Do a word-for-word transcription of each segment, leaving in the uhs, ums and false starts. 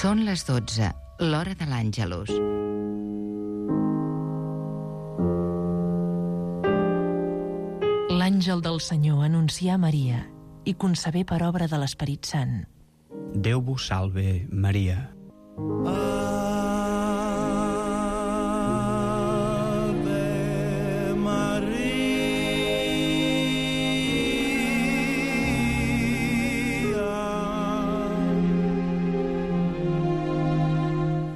Són les dotze, l'hora de l'Àngelus. L'àngel del Senyor anuncià a Maria i concebé per obra de l'Esperit Sant. Déu vos salve, Maria.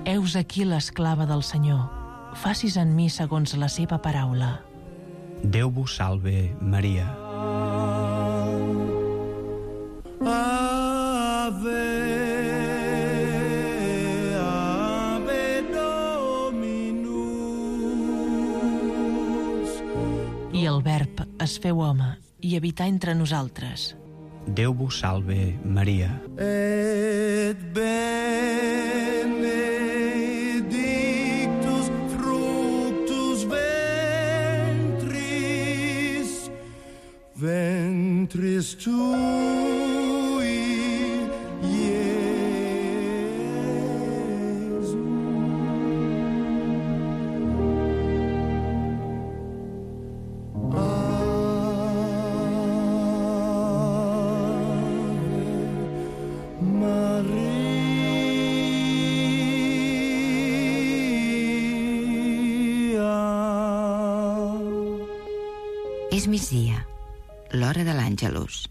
Heus aquí l'esclava del Senyor. Facis en mi segons la seva paraula. Déu vos salve, Maria. Ave, Ave Dominus. I el Verb es feu home i habità entre nosaltres. Déu vos salve, Maria. Et benedictus fructus ventris, ventris tui, Iesus. És migdia, l'hora de l'Àngelus.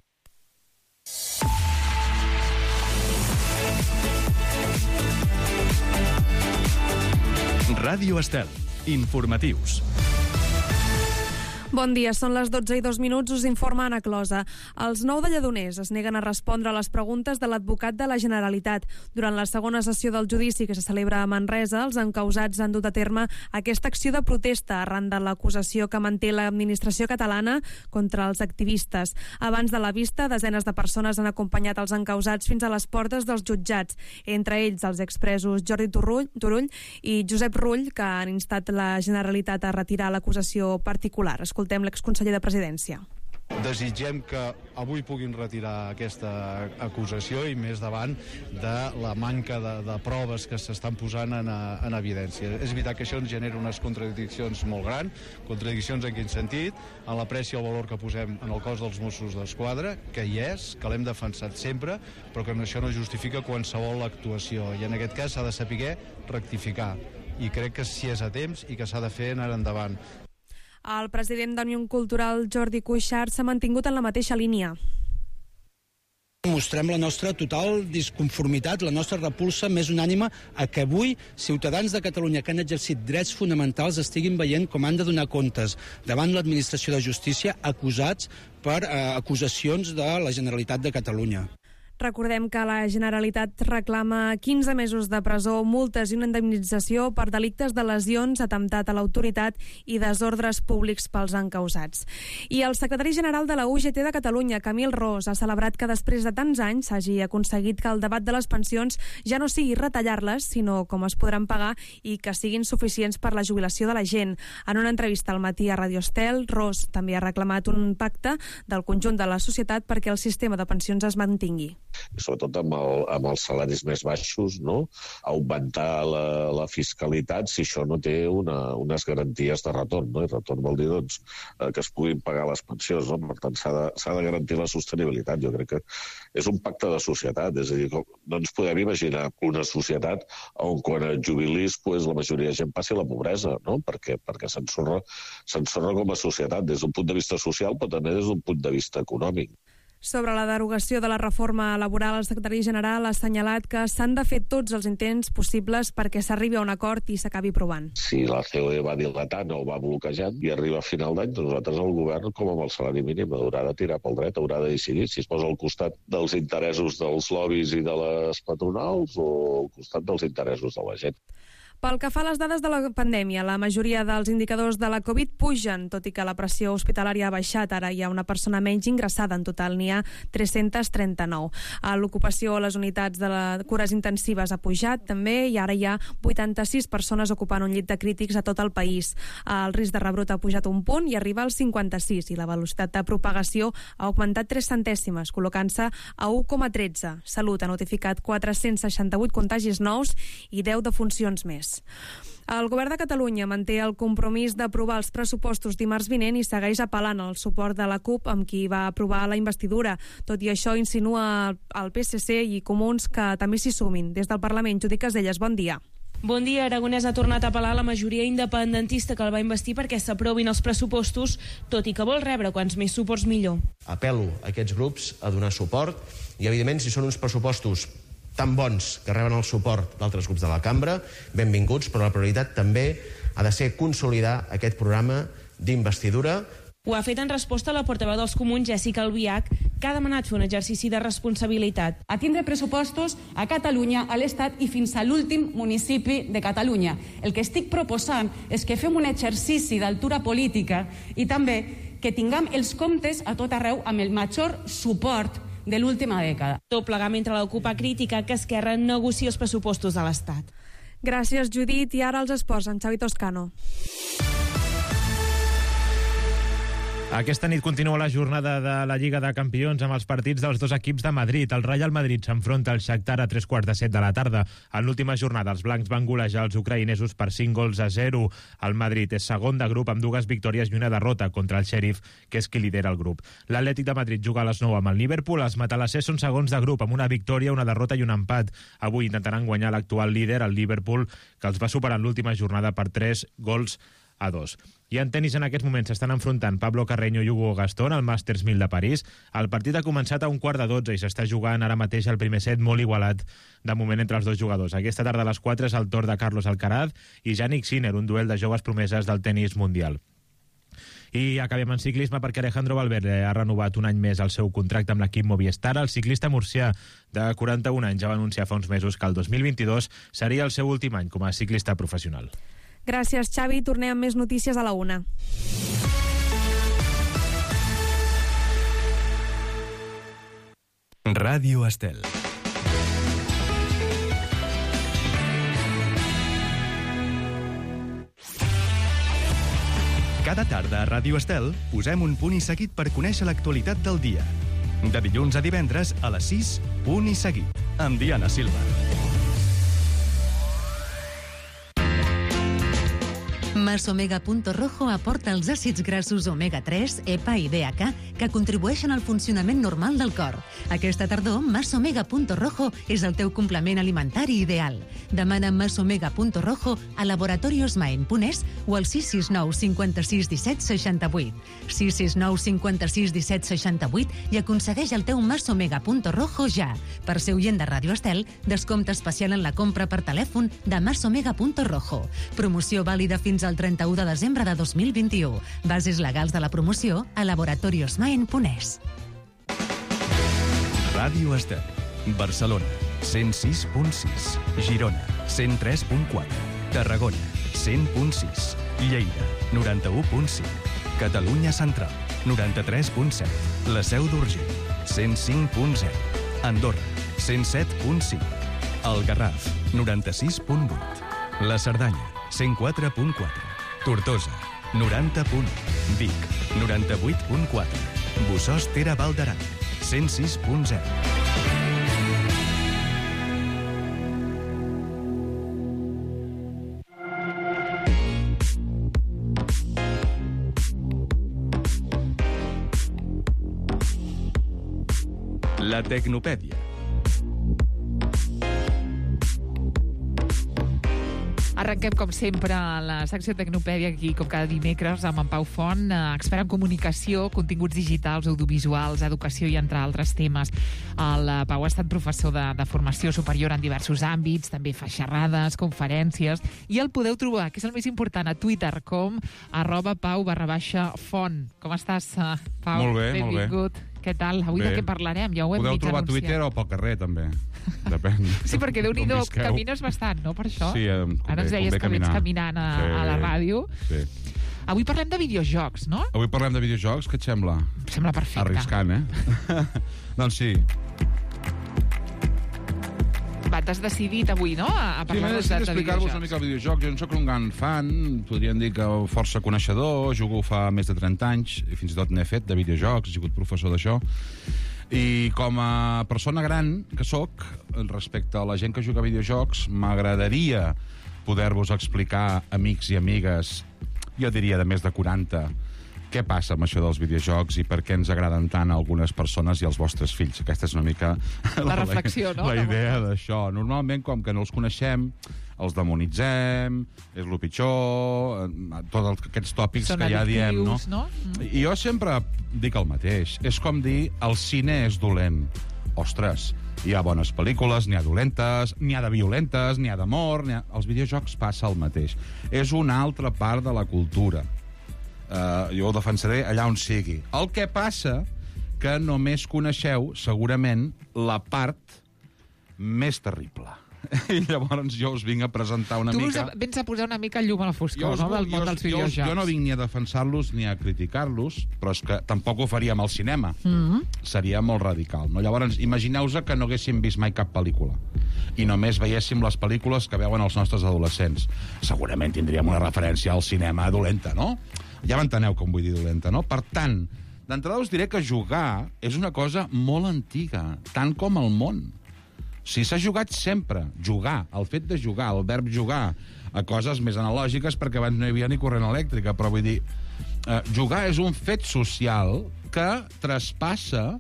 Ràdio Estel. Informatius. Bon dia, són les dotze i dos minuts, us informa Anna Closa. Els nou de Lledoners es neguen a respondre a les preguntes de l'advocat de la Generalitat. Durant la segona sessió del judici que se celebra a Manresa, els encausats han dut a terme aquesta acció de protesta arran de l'acusació que manté l'administració catalana contra els activistes. Abans de la vista, desenes de persones han acompanyat els encausats fins a les portes dels jutjats, entre ells els expresos Jordi Turull, Turull i Josep Rull, que han instat la Generalitat a retirar l'acusació particular. Escoltem l'exconseller de Presidència. Desitgem que avui puguin retirar aquesta acusació i més davant de la manca de, de proves que s'estan posant en, en evidència. És veritat que això ens genera unes contradiccions molt grans, contradiccions en quin sentit, en l'apreci al valor que posem en el cos dels Mossos d'Esquadra, que hi és, que l'hem defensat sempre, però que això no justifica qualsevol actuació, i en aquest cas s'ha de saber rectificar, i crec que si és a temps i que s'ha de fer anar endavant. El president d'Òmnium Cultural, Jordi Cuixart, s'ha mantingut en la mateixa línia. Mostrem la nostra total disconformitat, la nostra repulsa més unànime a que avui ciutadans de Catalunya que han exercit drets fonamentals estiguin veient com han de donar comptes davant l'administració de justícia acusats per eh, acusacions de la Generalitat de Catalunya. Recordem que la Generalitat reclama quinze mesos de presó, multes i una indemnització per delictes de lesions, atemptat a l'autoritat i desordres públics pels encausats. I el secretari general de la U G T de Catalunya, Camil Ros, ha celebrat que després de tants anys s'hagi aconseguit que el debat de les pensions ja no sigui retallar-les, sinó com es podran pagar i que siguin suficients per la jubilació de la gent. En una entrevista al matí a Radio Estel, Ros també ha reclamat un pacte del conjunt de la societat perquè el sistema de pensions es mantingui. I sobretot amb, el, amb els salaris més baixos, no? Augmentar la, la fiscalitat si això no té una, unes garanties de retorn, no? I retorn vol dir doncs, que es puguin pagar les pensions, no? Per tant, s'ha de, s'ha de garantir la sostenibilitat. Jo crec que és un pacte de societat, és a dir, no ens podem imaginar una societat on quan et jubilis pues, la majoria de gent passi a la pobresa, no? Perquè, perquè s'ensorra, s'ensorra com a societat des d'un punt de vista social, però també des d'un punt de vista econòmic. Sobre la derogació de la reforma laboral, el secretari general ha assenyalat que s'han de fer tots els intents possibles perquè s'arribi a un acord i s'acabi aprovant. Si la C O E va dilatant o va bloquejant i arriba a final d'any, doncs nosaltres el govern, com amb el salari mínim, haurà de tirar pel dret, haurà de decidir si es posa al costat dels interessos dels lobbies i de les patronals o al costat dels interessos de la gent. Pel que fa a les dades de la pandèmia, la majoria dels indicadors de la Covid pugen, tot i que la pressió hospitalària ha baixat. Ara hi ha una persona menys ingressada. En total n'hi ha tres-cents trenta-nou. L'ocupació a les unitats de les cures intensives ha pujat també i ara hi ha vuitanta-sis persones ocupant un llit de crítics a tot el país. El risc de rebrot ha pujat un punt i arriba als cinquanta-sis i la velocitat de propagació ha augmentat tres centèsimes, col·locant-se a u coma tretze. Salut ha notificat quatre-cents seixanta-vuit contagis nous i deu defuncions més. El govern de Catalunya manté el compromís d'aprovar els pressupostos dimarts vinent i segueix apel·lant al suport de la CUP amb qui va aprovar la investidura. Tot i això, insinua el P S C i Comuns que també s'hi sumin. Des del Parlament, Judit Caselles, bon dia. Bon dia. Aragonès ha tornat a apel·lar a la majoria independentista que el va investir perquè s'aprovin els pressupostos, tot i que vol rebre quants més suports millor. Apel·lo a aquests grups a donar suport i, evidentment, si són uns pressupostos tan bons que reben el suport d'altres grups de la cambra, benvinguts, però la prioritat també ha de ser consolidar aquest programa d'investidura. Ho ha fet en resposta a la portaveu dels Comuns, Jessica Albiach, que ha demanat fer un exercici de responsabilitat. A tindre pressupostos a Catalunya, a l'Estat i fins a l'últim municipi de Catalunya. El que estic proposant és que fem un exercici d'altura política i també que tinguem els comptes a tot arreu amb el major suport de l'última dècada. Tot plegar mentre l'Ocupa crítica que Esquerra negocia els pressupostos de l'Estat. Gràcies, Judit. I ara els esports, en Xavi Toscano. Aquesta nit continua la jornada de la Lliga de Campions amb els partits dels dos equips de Madrid. El Real Madrid s'enfronta al Shakhtar a tres quarts de set de la tarda. En l'última jornada, els blancs van golejar els ucraïnesos per cinc gols a zero. El Madrid és segon de grup amb dues victòries i una derrota contra el Sheriff, que és qui lidera el grup. L'Atlètic de Madrid juga a les nou amb el Liverpool. Els matalassers són segons de grup amb una victòria, una derrota i un empat. Avui intentaran guanyar l'actual líder, el Liverpool, que els va superar en l'última jornada per tres gols a dos. I en tenis en aquests moments s'estan enfrontant Pablo Carreño i Hugo Gastón al Masters mil de París. El partit ha començat a un quart de dotze i s'està jugant ara mateix el primer set molt igualat de moment entre els dos jugadors. Aquesta tarda a les quatre és el torn de Carlos Alcaraz i Jannik Sinner, un duel de joves promeses del tenis mundial. I acabem en ciclisme perquè Alejandro Valverde ha renovat un any més el seu contracte amb l'equip Movistar. El ciclista murcià de quaranta-un anys ja va anunciar fa uns mesos que el dos mil vint-i-dos seria el seu últim any com a ciclista professional. Gràcies, Xavi. Tornem amb més notícies a la una. Ràdio Estel. Cada tarda a Ràdio Estel posem un punt i seguit per conèixer l'actualitat del dia. De dilluns a divendres a les sis, punt i seguit, amb Diana Silva. Masomega Punto Rojo aporta els àcids grassos omega tres, E P A i D H A que contribueixen al funcionament normal del cor. Aquesta tardor, Masomega Punto Rojo és el teu complement alimentari ideal. Demana Masomega Punto Rojo a Laboratorios Maen Punès o al sis sis nou cinquanta-sis disset seixanta-vuit. sis sis nou cinquanta-sis disset seixanta-vuit i aconsegueix el teu Masomega Punto Rojo ja. Per ser oient de Ràdio Estel, descompte especial en la compra per telèfon de Masomega Punto Rojo. Promoció vàlida fins al trenta-u de desembre de dos mil vint-i-u. Bases legals de la promoció a Laboratorios Maen Punès. Ràdio Estel. Barcelona, cent sis punt sis. Girona, cent tres punt quatre. Tarragona, cent punt sis. Lleida, noranta-u punt cinc. Catalunya Central, noranta-tres punt set. La Seu d'Urgell, cent cinc punt zero. Andorra, cent set punt cinc. El Garraf, noranta-sis punt vuit. La Cerdanya, cent quatre punt quatre. Tortosa, noranta punt u. Vic, noranta-vuit punt quatre. Bossòst Tere Val d'Aran, cent sis punt zero. La Tecnopèdia. Arrenquem, com sempre, la secció Tecnopèdia aquí, com cada dimecres, amb en Pau Font, expert en comunicació, continguts digitals, audiovisuals, educació i entre altres temes. El Pau ha estat professor de, de formació superior en diversos àmbits, també fa xerrades, conferències, i el podeu trobar, que és el més important, a Twitter, com arroba pau barra baixa font. Com estàs, Pau? Molt bé, Benvingut. molt bé. què tal? Avui Bé. de què parlarem? Ja ho hem Podeu mig trobar a anunciat. Twitter o pel carrer, també. Depèn. Sí, perquè Déu-n'hi-do, d'on visqueu. camines bastant, no, per això? Sí, eh, Ara ens convé- deies convé que vens caminar. caminant a, Sí. a la ràdio. Sí. Avui parlem de videojocs, no? Avui parlem de videojocs, què et sembla? Em sembla perfecte. Arriscant, eh? doncs sí. Va, t'has decidit avui, no?, a, a Sí, m'he parlar-nos decidit de, de explicar-vos una videojocs. mica el videojoc. Jo no sóc un gran fan, podríem dir que força coneixedor, jugo fa més de trenta anys, i fins i tot n'he fet de videojocs, he sigut professor d'això. I com a persona gran que sóc, respecte a la gent que juga a videojocs, m'agradaria poder-vos explicar, amics i amigues, jo diria de més de quaranta, què passa amb això dels videojocs i per què ens agraden tant a algunes persones i als vostres fills. Aquesta és una mica La reflexió, no? la idea d'això. Normalment, com que no els coneixem, els demonitzem, és el pitjor, eh, tots aquests tòpics Són que ja diem, no? addictius, no? Mm. I jo sempre dic el mateix. És com dir, el cine és dolent. Ostres, hi ha bones pel·lícules, n'hi ha dolentes, n'hi ha de violentes, n'hi ha d'amor... N'hi ha... Els videojocs passa el mateix. És una altra part de la cultura. Uh, jo ho defensaré allà on sigui. El que passa que només coneixeu, segurament, la part més terrible. I llavors jo us vinc a presentar una Tu mica... us vens a posar una mica llum a la foscor, us no?, vull- del món jo- dels jo- videojocs. Jo no vinc ni a defensar-los ni a criticar-los, però és que tampoc ho faríem al cinema. Mm. Seria molt radical, no? Llavors, imagineu-vos que no haguéssim vist mai cap pel·lícula i només veiéssim les pel·lícules que veuen els nostres adolescents. Segurament tindríem una referència al cinema dolenta, no? Ja m'enteneu com vull dir dolenta, no? Per tant, d'entrada us diré que jugar és una cosa molt antiga, tant com el món. Si s'ha jugat sempre, jugar, el fet de jugar, el verb jugar, a coses més analògiques, perquè abans no hi havia ni corrent elèctrica, però vull dir, eh, jugar és un fet social que traspassa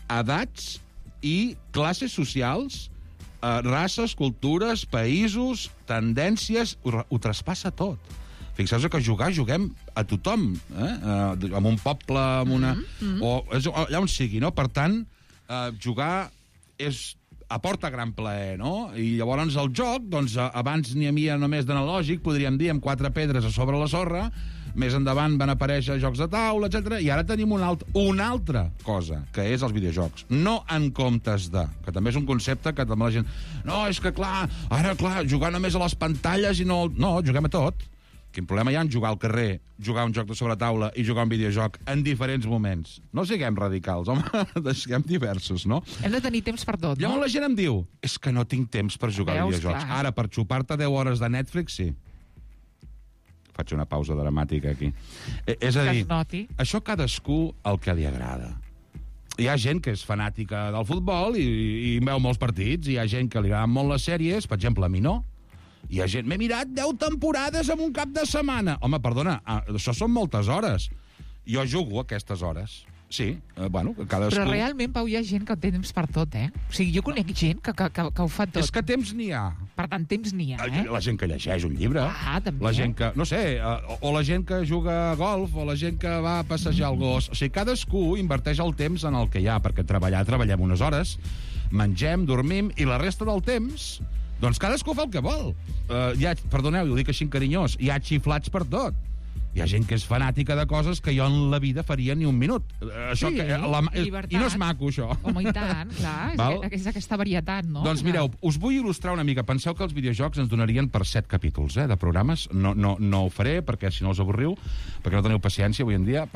edats i classes socials, eh, races, cultures, països, tendències, ho, ho traspassa tot. Fixeu-vos que jugar, juguem a tothom, eh? Eh, en un poble, en una... Mm-hmm. o, és, allà on sigui, no? Per tant, eh, jugar és aporta gran plaer, no? I llavors el joc, doncs, abans n'hi havia només d'analògic, podríem dir, amb quatre pedres a sobre la sorra, més endavant van aparèixer jocs de taula, etcètera, i ara tenim una, alt una altra cosa, que és els videojocs. No en comptes de, que també és un concepte que també la gent... No, és que clar, ara clar, jugar només a les pantalles i no... No, juguem a tot. Quin problema hi ha en jugar al carrer, jugar un joc de sobretaula i jugar un videojoc en diferents moments? No siguem radicals, home, siguem diversos, no? Hem de tenir temps per tot, no? Llavors la gent em diu, és que no tinc temps per jugar a Veus, videojocs. clar. Ara, per xupar-te deu hores de Netflix, sí. Faig una pausa dramàtica aquí. Eh, és a Que dir, es noti. això cadascú el que li agrada. Hi ha gent que és fanàtica del futbol i, i veu molts partits, hi ha gent que li agraden molt les sèries, per exemple, a mi no. Hi ha gent, m'he mirat deu temporades en un cap de setmana. Home, perdona, ah, això són moltes hores. Jo jugo aquestes hores. Sí, eh, bueno, cadascú... Però realment, Pau, hi ha gent que té temps per tot, eh? O sigui, jo conec gent que, que, que, que ho fa tot. És que temps n'hi ha. Per tant, temps n'hi ha, eh? La gent que llegeix un llibre. Ah, també. La gent que, no sé, eh, o, o la gent que juga a golf, o la gent que va a passejar el gos. O sigui, cadascú inverteix el temps en el que hi ha, perquè treballar, treballem unes hores, mengem, dormim, i la resta del temps, doncs cadascú fa el que vol. Uh, hi ha, perdoneu, ho dic així carinyós, hi ha xiflats per tot. Hi ha gent que és fanàtica de coses que jo en la vida faria ni un minut. Uh, això Sí, que, la, llibertat. I no és maco, això. Home, i tant, clar, és, Val? que, és aquesta varietat, no? Doncs mireu, us vull il·lustrar una mica. Penseu que els videojocs ens donarien per set capítols eh, de programes. No, no, no ho faré, perquè si no us avorriu, perquè no teniu paciència avui en dia,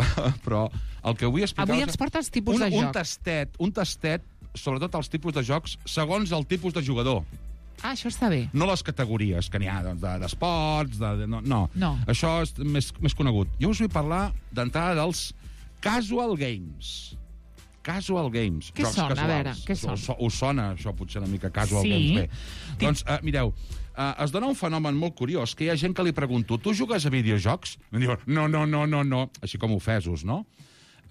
però el que vull explicar... Avui ens portes tipus un, de un joc. tastet, un tastet, sobretot els tipus de jocs, segons el tipus de jugador. Ah, això està bé. No les categories que n'hi ha doncs, de- d'esports, de, de, no, no. No. Això és més, més conegut. Jo us vull parlar d'entrada dels casual games. Casual games. Què jocs són? A casuals. veure, què són? Us, us sona això potser una mica casual Sí. games? Bé. Doncs, uh, mireu, uh, es dona un fenomen molt curiós, que hi ha gent que li pregunto, tu jugues a videojocs? Em diuen, no, no, no, no, no. Així com ofesos, no?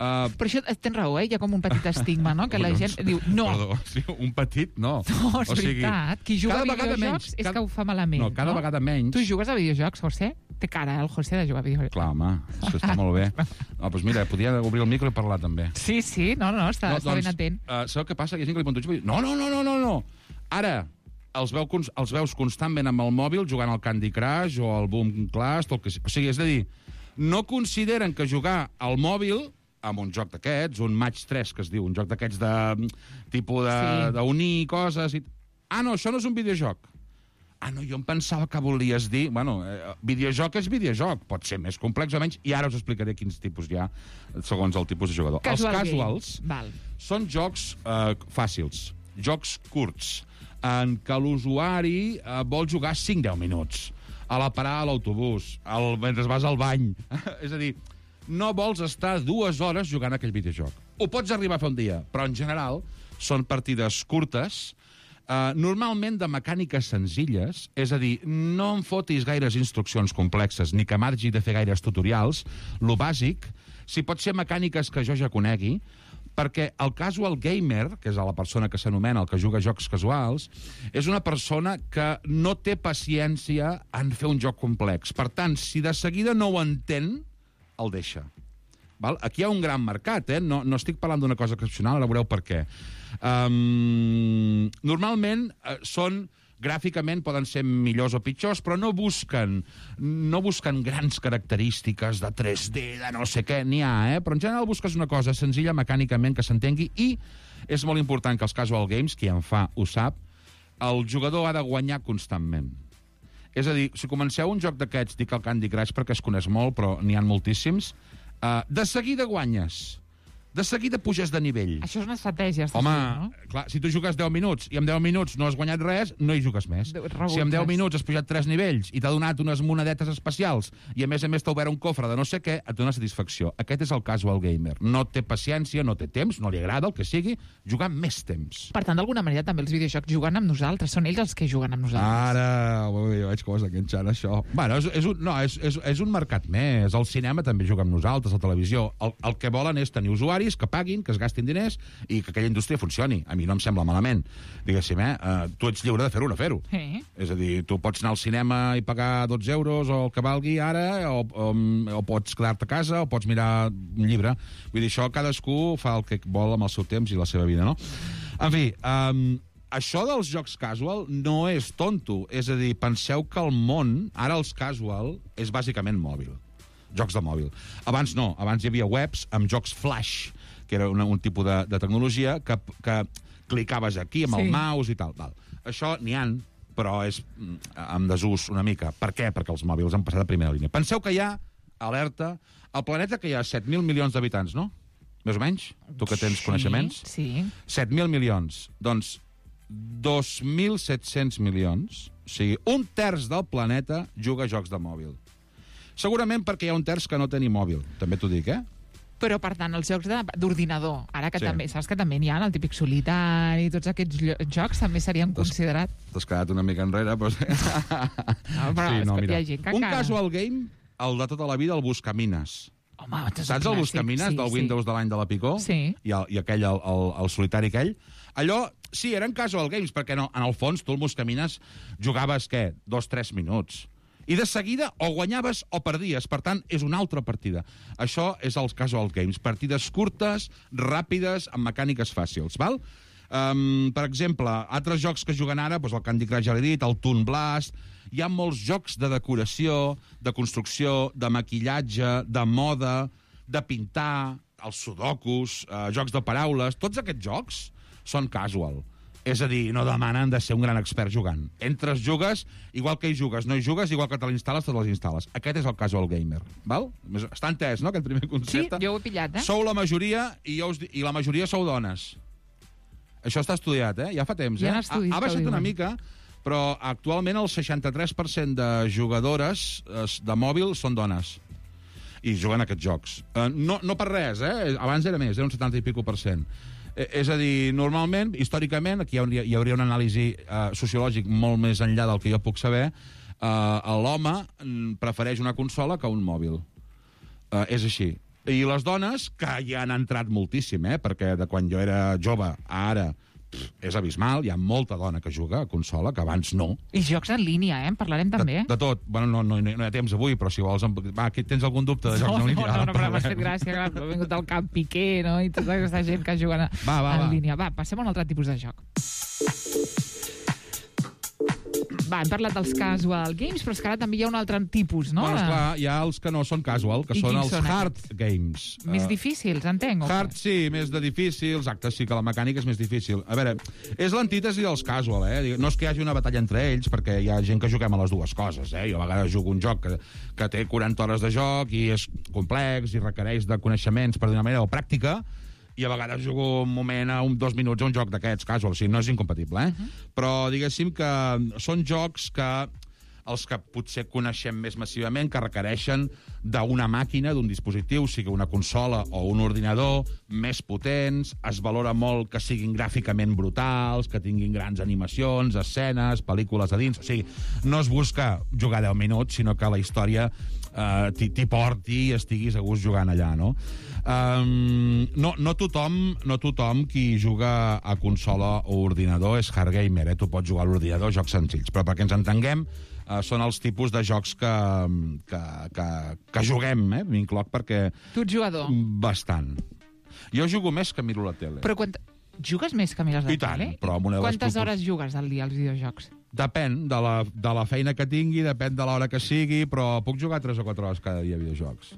Uh, Per això tens raó, eh? Hi ha com un petit estigma, no? Que la gent diu, no. Perdó, sí, un petit, no. No, és O sigui, veritat. Qui juga a cada vegada videojocs menys, és cada- que ho fa malament. No, cada vegada menys. Tu jugues a videojocs, José? Té cara, eh, el José, de jugar a videojocs. Clar, home, això està molt bé. No, doncs mira, podia obrir el micro i parlar també. Sí, sí, no, no, està, no, està ben atent. Uh, sabeu què passa? Hi ha gent que li pregunto, no, no, no, no, no, no. Ara, els, veu, cons- els veus constantment amb el mòbil jugant al Candy Crush o al Boom Clash, o el que sigui. O sigui, és a dir, no consideren que jugar al mòbil amb un joc d'aquests, un Match tres, que es diu, un joc d'aquests de tipus Sí. d'unir coses... I... Ah, no, això no és un videojoc. Ah, no, jo em pensava que volies dir... Bueno, eh, videojoc és videojoc, pot ser més complex o menys, i ara us explicaré quins tipus hi ha, segons el tipus de jugador. Casual Els casuals Val. són jocs eh, fàcils, jocs curts, en què l'usuari eh, vol jugar cinc a deu minuts, a la parada a l'autobús, al, mentre vas al bany. És a dir, no vols estar dues hores jugant aquell videojoc. Ho pots arribar a fer un dia, però en general són partides curtes, Uh, normalment de mecàniques senzilles, és a dir, no em fotis gaires instruccions complexes, ni que margi de fer gaires tutorials, lo bàsic, si pot ser mecàniques que jo ja conegui, perquè el casual gamer, que és la persona que s'anomena el que juga a jocs casuals, és una persona que no té paciència en fer un joc complex. Per tant, si de seguida no ho entén, el deixa. Val? Aquí hi ha un gran mercat, eh? No, no estic parlant d'una cosa excepcional, ara veureu per què. Um, normalment uh, són, gràficament poden ser millors o pitjors, però no busquen, no busquen grans característiques de tres D, de no sé què, n'hi ha, eh? Però en general busques una cosa senzilla mecànicament que s'entengui, i és molt important que els casual games, qui en fa ho sap, el jugador ha de guanyar constantment. És a dir, si comenceu un joc d'aquests, dic el Candy Crush perquè es coneix molt, però n'hi ha moltíssims, Uh, de seguida guanyes. De seguida puges de nivell. Això és una estratègia. Home, no? clar, si tu jugues deu minuts i en deu minuts no has guanyat res, no hi jugues més. Rebut si en deu més. minuts has pujat tres nivells i t'ha donat unes monedetes especials i a més a més t'ha obert un cofre de no sé què, et dona satisfacció. Aquest és el casual gamer. No té paciència, no té temps, no li agrada el que sigui, jugar més temps. Per tant, d'alguna manera, també els videojocs juguen amb nosaltres. Són ells els que juguen amb nosaltres. Ara, ui, veig com es enganxant això. Bueno, és, és, un, no, és, és, és un mercat més. El cinema també juga amb nosaltres, la televisió. El, el que volen és tenir usuaris que paguin, que es gastin diners i que aquella indústria funcioni. A mi no em sembla malament. Diguéssim, eh? Uh, tu ets lliure de fer-ho o no fer-ho. Sí. És a dir, tu pots anar al cinema i pagar dotze euros o el que valgui ara, o, o, o pots quedar-te a casa, o pots mirar un llibre. Vull dir, això cadascú fa el que vol amb el seu temps i la seva vida, no? En fi, um, això dels jocs casual no és tonto. És a dir, penseu que el món, ara els casual, és bàsicament mòbil. Jocs de mòbil. Abans no, abans hi havia webs amb jocs flash, que era una, un tipus de, de tecnologia que, que clicaves aquí amb sí. el mouse i tal. Val. Això n'hi ha, però és en desús una mica. Per què? Perquè els mòbils han passat a primera línia. Penseu que hi ha, alerta, al planeta que hi ha set mil milions d'habitants, no? Més o menys? Tu que tens sí, coneixements? Sí. set mil milions. Doncs dos mil set-cents milions, o sigui, un terç del planeta juga a jocs de mòbil. Segurament perquè hi ha un terç que no té ni mòbil. També t'ho dic, eh? Però, per tant, els jocs de- d'ordinador, ara que Sí. també, saps que també n'hi ha, el típic solitari, tots aquests llo- jocs també serien considerats... T'has quedat una mica enrere, però... No, però és que hi ha gent que un encara- casual game, el de tota la vida, el Buscamines. Home, Saps el Buscamines sí, del sí. Windows de l'any de la Picó? Sí. I, el, i aquell, el, el, el solitari aquell? Allò, sí, eren casual games, perquè no, en el fons tu el Buscamines jugaves, què, dos, tres minuts. I de seguida o guanyaves o perdies. Per tant, és una altra partida. Això és els casual games. Partides curtes, ràpides, amb mecàniques fàcils, val? Um, per exemple, altres jocs que juguen ara, doncs el Candy Crush ja l'he dit, el Toon Blast... Hi ha molts jocs de decoració, de construcció, de maquillatge, de moda, de pintar, els sudokus, eh, jocs de paraules... Tots aquests jocs són casual. És a dir, no demanen de ser un gran expert jugant. Entres, jugues, igual que hi jugues, no hi jugues, igual que te l'instal·les, te les instal·les. Aquest és el casual gamer, val? Està entès, no?, aquest primer Sí, concepte. jo ho he pillat, eh? Sou la majoria i, jo us, di- i la majoria sou dones. Això està estudiat, eh? Ja fa temps, Hi eh? ha estudis ha, ha que ho baixat una diuen. mica, però actualment el seixanta-tres per cent de jugadores eh, de mòbil són dones i juguen a aquests jocs. Eh, no, no per res, eh? Abans era més, era un setanta i pico per cent. Eh, és a dir, normalment, històricament, aquí hi hauria, hi hauria una anàlisi eh, sociològic molt més enllà del que jo puc saber, eh, l'home mm, prefereix una consola que un mòbil. Eh, és així. I les dones, que hi han entrat moltíssim, eh? Perquè de quan jo era jove a ara, pff, és abismal, hi ha molta dona que juga a consola, que abans no. I jocs en línia, eh? En parlarem també. De, de tot. Bueno, no, no, no hi ha temps avui, però si vols... Va, aquí tens algun dubte de jocs No, en no, línia? no, Ara no, però m'ha parlem. fet gràcia, clar, ha vingut el Camp Piqué, no?, i tota aquesta gent que juguen a, Va, va, en va. línia. Va, passem a un altre tipus de joc. Va, hem parlat dels casual games, però és que ara també hi ha un altre tipus, no? Bueno, esclar, hi ha els que no són casual, que I són quins els són hard games. Més Uh, difícils, entenc? O Hard, sí, més de difícils. Exacte, sí que la mecànica és més difícil. A veure, és l'antítesi dels casual, eh? No és que hi hagi una batalla entre ells, perquè hi ha gent que juguem a les dues coses, eh? Jo a vegades jugo un joc que, que té quaranta hores de joc i és complex i requereix de coneixements per d'una manera o pràctica, i a vegades jugo un moment, a un, dos minuts, a un joc d'aquests casual, o sigui, no és incompatible, eh? Uh-huh. Però diguéssim que són jocs que els que potser coneixem més massivament, que requereixen d'una màquina, d'un dispositiu, sigui una consola o un ordinador, més potents, es valora molt que siguin gràficament brutals, que tinguin grans animacions, escenes, pel·lícules a dins... O sigui, no es busca jugar deu minuts, sinó que la història eh, t'hi porti i estiguis a gust jugant allà, no? Um, no, no, tothom, no tothom qui juga a consola o ordinador és hard gamer, eh? Tu pots jugar a l'ordinador, jocs senzills, però perquè ens entenguem, Uh, són els tipus de jocs que, que, que, que juguem, eh? M'incloc perquè... Tu ets jugador? Bastant. Jo jugo més que miro la tele. Però quan... Jugues més que mires la I tant, tele? però amb una de les Quantes propos- hores jugues al dia als videojocs? Depèn de la, de la feina que tingui, depèn de l'hora que sigui, però puc jugar tres o quatre hores cada dia a videojocs.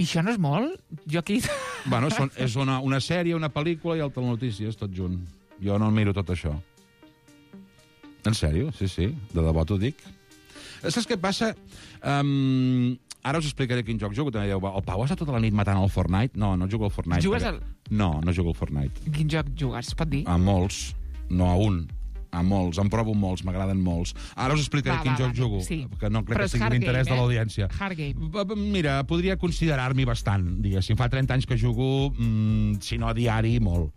I això no és molt? Jo aquí... Bueno, són, és una, una sèrie, una pel·lícula i el telenotícies, tot junt. Jo no miro tot això. En sèrio? Sí, sí, de debò t'ho dic. Saps què passa? Um, ara us explicaré quin joc jugo. També dieu, el Pau ha estat tota la nit matant al Fortnite? No, no jugo al Fortnite. Jugues perquè... al- No, no jugo al Fortnite. Quin joc jugues, es pot dir? A molts, no a un. A molts, em provo molts, m'agraden molts. Ara us explicaré Va, quin va, joc va, jugo, sí. que no crec Però que és sigui hard d'interès game, de eh? l'audiència. Hard game. B- b- Mira, podria considerar-m'hi bastant, diguéssim. Fa trenta anys que jugo, mm, si no a diari, molt.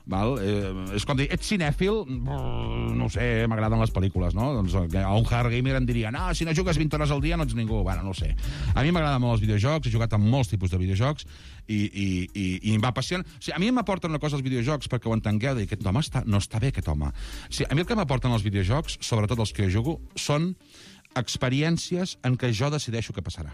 Val? Eh, és com dir, ets cinèfil? Brrr, no ho sé, m'agraden les pel·lícules, no? Doncs a un hard gamer em diria, no, si no jugues vint hores al dia no ets ningú. Bueno, no ho sé. A mi m'agraden molt els videojocs, he jugat amb molts tipus de videojocs i, i, i, i em va apassionar. O sigui, a mi m'aporten una cosa els videojocs, perquè ho entengueu, de dir, aquest home està, no està bé, aquest home. O sigui, a mi el que m'aporten els videojocs, sobretot els que jo jugo, són experiències en què jo decideixo què passarà.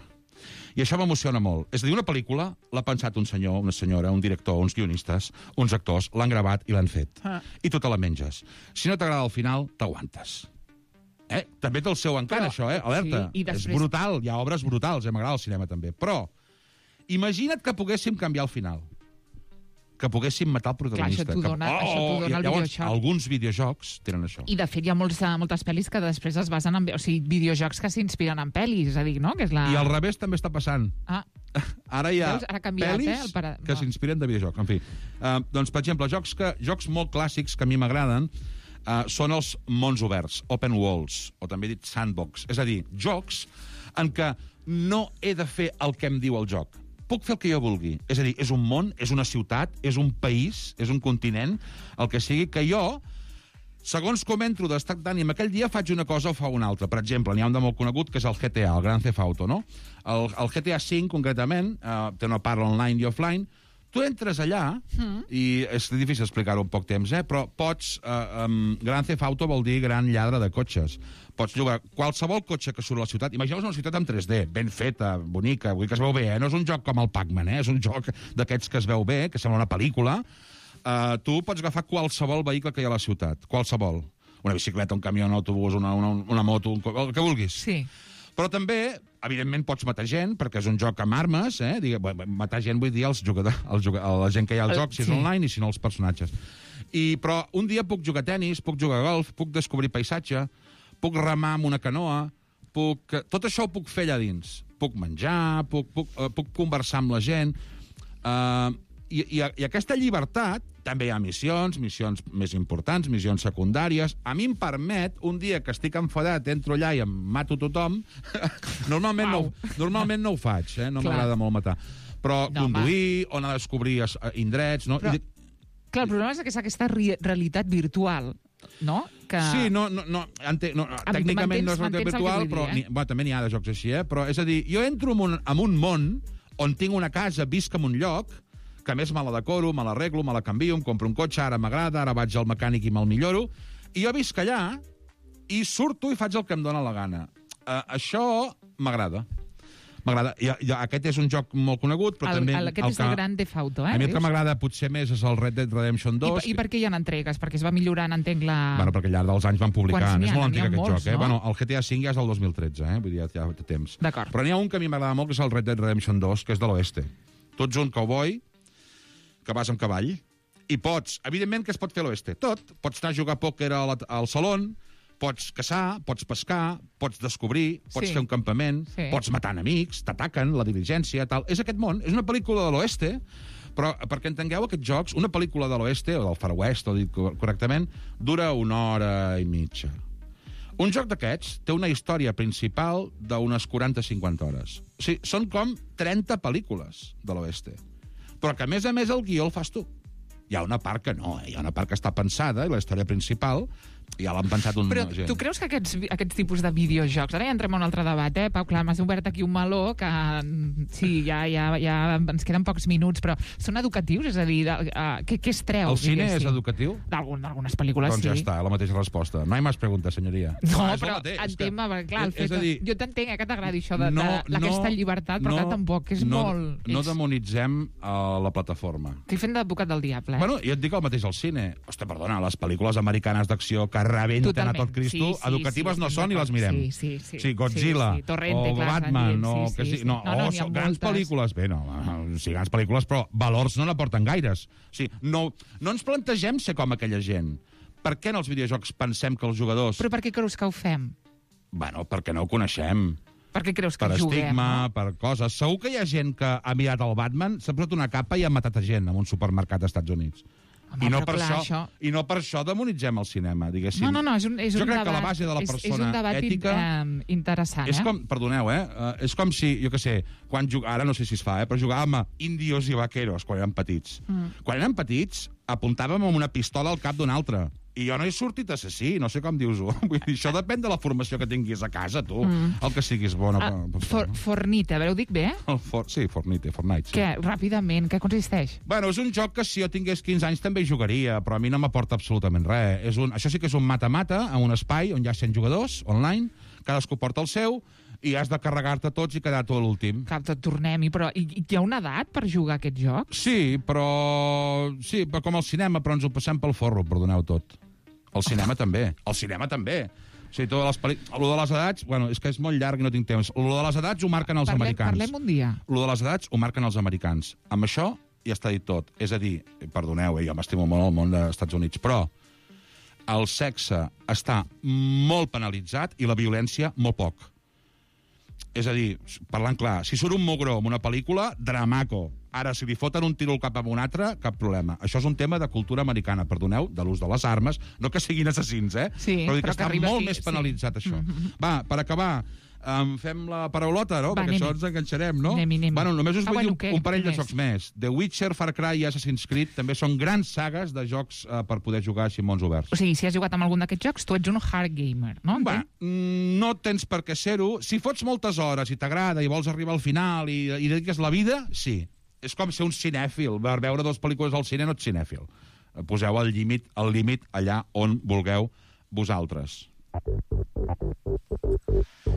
I això m'emociona molt. És a dir, una pel·lícula l'ha pensat un senyor, una senyora, un director, uns guionistes, uns actors, l'han gravat i l'han fet. Ah. I tu te la menges. Si no t'agrada al final, t'aguantes. Eh? També té el seu encant, Però- això, eh? Alerta. sí, i després- És brutal, hi ha obres brutals, eh? M'agrada el cinema també. Però, imagina't que poguéssim canviar el final. Que poguéssim matar el protagonista. Clar, això t'ho que... dona- això t'ho dona el llavors, videojoc. alguns videojocs tenen això. I, de fet, hi ha molts, eh, moltes pel·lis que després es basen en... O sigui, videojocs que s'inspiren en pel·lis, és a dir, no? Que és la... I al revés també està passant. Ah, Ara hi ha Veus? Ara ha canviat, pel·lis eh, el para- que va. s'inspiren de videojocs. En fi, uh, doncs, per exemple, jocs, que, jocs molt clàssics que a mi m'agraden uh, són els mons oberts, open worlds, o també dit sandbox. És a dir, jocs en què no he de fer el que em diu el joc. Puc fer el que jo vulgui. És a dir, és un món, és una ciutat, és un país, és un continent, el que sigui, que jo, segons com entro d'estat d'ànim, aquell dia faig una cosa o fa una altra. Per exemple, n'hi ha un de molt conegut, que és el G T A, el Grand Theft Auto, no? El, el G T A cinc, concretament, eh, té una part online i offline. Tu entres allà, mm. i és difícil explicar-ho en poc temps, eh? Però pots... Eh, um, Grand Theft Auto vol dir gran lladre de cotxes. Pots llogar qualsevol cotxe que surt a la ciutat. Imagineu una ciutat en tres D, ben feta, bonica, vull dir que es veu bé, eh? No és un joc com el Pac-Man, eh? És un joc d'aquests que es veu bé, que sembla una pel·lícula. Uh, tu pots agafar qualsevol vehicle que hi ha a la ciutat, qualsevol. Una bicicleta, un camió, un autobús, una, una, una moto, un, el que vulguis. Sí. Però també, evidentment, pots matar gent, perquè és un joc amb armes, eh? Digue, matar gent vull dir els jugadors, els jugadors, la gent que hi ha al joc, si és Sí. online, i si no els personatges. I, però un dia puc jugar a tennis, puc jugar a golf, puc descobrir paisatge, puc remar amb una canoa, puc... tot això ho puc fer allà dins. Puc menjar, puc, puc, uh, puc conversar amb la gent... Uh, i, i, I aquesta llibertat, també hi ha missions, missions més importants, missions secundàries. A mi em permet, un dia que estic enfadat, entro allà i em mato tothom, normalment, no, normalment no ho faig, eh? No m'agrada molt matar. Però No, conduir, o anar a descobrir es- indrets... No? Però- I, Clar, el problema és que és aquesta re realitat virtual, no? Que... Sí, no, no, no, ente, no tècnicament no és realitat m'entens el que virtual, vull dir, però eh? ni, bueno, també n'hi ha de jocs així, eh? Però és a dir, jo entro en un, en un món on tinc una casa, visc en un lloc, que a més me la decoro, me l'arreglo, me la canvio, em compro un cotxe, ara m'agrada, ara vaig al mecànic i me'l milloro, i jo visc allà i surto i faig el que em dóna la gana. Uh, això m'agrada. M'agrada. I, i, aquest és un joc molt conegut, però el, també... El, aquest el és que, el Grand Theft Auto, eh? A mi el que dius? m'agrada potser més és el Red Dead Redemption dos. I, I per què hi ha entregues? Perquè es va millorant, entenc, la... Bueno, perquè al llarg dels anys van publicant. Quants n'hi ha? És molt N'hi ha antic aquest molts, joc, eh? no? Bueno, el G T A cinc ja és del dos mil tretze, eh? Vull dir, ja té temps. D'acord. Però n'hi ha un que a mi m'agrada molt, que és el Red Dead Redemption dos, que és de l'oeste. Tu ets un cowboy que vas amb cavall i pots... Evidentment que es pot fer a l'oeste. Tot. Pots anar a jugar a pòquer al, al salon, pots caçar, pots pescar, pots descobrir, pots Sí. fer un campament, Sí. pots matar enemics, t'ataquen, la diligència, tal. És aquest món. És una pel·lícula de l'oeste, però perquè entengueu aquests jocs, una pel·lícula de l'oeste, o del Far West, o dit correctament, dura una hora i mitja. Un joc d'aquests té una història principal d'unes quaranta a cinquanta hores. O sigui, són com trenta pel·lícules de l'oeste. Però que, a més a més, el guió el fas tu. Hi ha una part que no, eh? Hi ha una part que està pensada, i la història principal ja l'han pensat un Però gent. tu creus que aquests, aquests tipus de videojocs... Ara ja entrem en un altre debat, eh, Pau? Clar, m'has obert aquí un meló que... Sí, ja, ja, ja ens queden pocs minuts, però són educatius? És a dir, de, uh, què, què es treu? El cine diguéssim? és educatiu? D'algunes pel·lícules, doncs sí. ja està, la mateixa resposta. No hi ha més preguntes, senyoria. No, és però mateix, és entenc, que- clar, el és fet a dir, que... Jo t'entenc, eh, que t'agradi això de, no, de, d'aquesta llibertat, però no, clar, tampoc és no, molt... No és... demonitzem uh, la plataforma. Estic fent d'advocat del diable, eh? Bueno, jo et dic el mateix al cine. Hosta, perdona, les pel·lícules americanes d'acció que rebenten Totalment. a tot Cristo, Sí, sí, educatives sí, no estem són i les d'acord. mirem. Sí, sí, sí. Sí, Godzilla, Sí, sí. Torrente, o clar, Batman, Sandin, o sí, que sí, sí. sí. No, No, no, o n'hi ha són grans moltes. pel·lícules. Bé, no, sí, grans pel·lícules, però valors no n'aporten gaires. O sigui, no, no ens plantegem ser com aquella gent. Per què en els videojocs pensem que els jugadors... Però per què creus que ho fem? Bueno, perquè no ho coneixem. Per què creus que Per juguem? estigma, no? per coses. Segur que hi ha gent que ha mirat el Batman, s'ha posat una capa i ha matat a gent en un supermercat als Estats Units. Home, I, no però per clar, això, això- I no per això demonitzem el cinema, diguéssim. No, no, no, és un, és jo un crec debat, que la base de la és, persona és un debat ètica... eh, interessant, És eh? com, perdoneu, eh? Uh, és com si, jo què sé, quan jug... ara no sé si es fa, eh? Però jugàvem a índios i vaqueros quan érem petits. Mm. Quan érem petits, apuntàvem amb una pistola al cap d'un altre. I jo no he sortit assassí, no sé com dius-ho. Vull dir, això depèn de la formació que tinguis a casa, tu. Mm. El que siguis bona. Ah, per- for, Fornite, a veure, ho dic bé? El for... Sí, Fortnite, Fortnite. Sí. Què? Ràpidament, què consisteix? Bueno, és un joc que si jo tingués quinze anys també hi jugaria, però a mi no m'aporta absolutament res. És un... Això sí que és un mata-mata, en un espai on hi ha cent jugadors, online, cadascú porta el seu, i has de carregar-te tots i quedar tu a l'últim. Clar, tot tornem-hi, però hi, hi ha una edat per jugar a aquest joc? Sí, però... Sí, però com al cinema, però ens ho passem pel forro, perdoneu tot. El cinema també. El cinema també. O sigui, totes les pel·li... Lo de les edats, bueno, és que és molt llarg i no tinc temps. Lo de les edats ho marquen els Parlem, americans. parlem un dia. Lo de les edats ho marquen els americans. Amb això ja està dit tot. És a dir, perdoneu, eh, jo m'estimo molt el món dels Estats Units, però el sexe està molt penalitzat i la violència molt poc. És a dir, parlant clar, si surt un mugró en una pel·lícula, dramaco. Ara, si li foten un tiro al cap a un altre, cap problema. Això és un tema de cultura americana, perdoneu, de l'ús de les armes, no que siguin assassins, eh? Sí, però, dir però que que està arriba molt aquí, més sí. penalitzat, això. Mhm. Va, per acabar, um, fem la paraulota, no? Va, Perquè anem-hi. això ens enganxarem, no? Anem-hi, anem-hi. Bueno, només us Ah, vull bueno, dir un, què? un parell Què de més? jocs més. The Witcher, Far Cry i Assassin's Creed també són grans sagues de jocs uh, per poder jugar així en mons oberts. O sigui, si has jugat amb algun d'aquests jocs, tu ets un hard gamer, no? Va, Entenc? mm, no tens per què ser-ho. Si fots moltes hores i t'agrada i vols arribar al final i, i dediques la vida, sí. És com ser un cinèfil. Per veure dues pel·lícules al cine no ets cinèfil. Poseu el límit el límit allà on vulgueu vosaltres.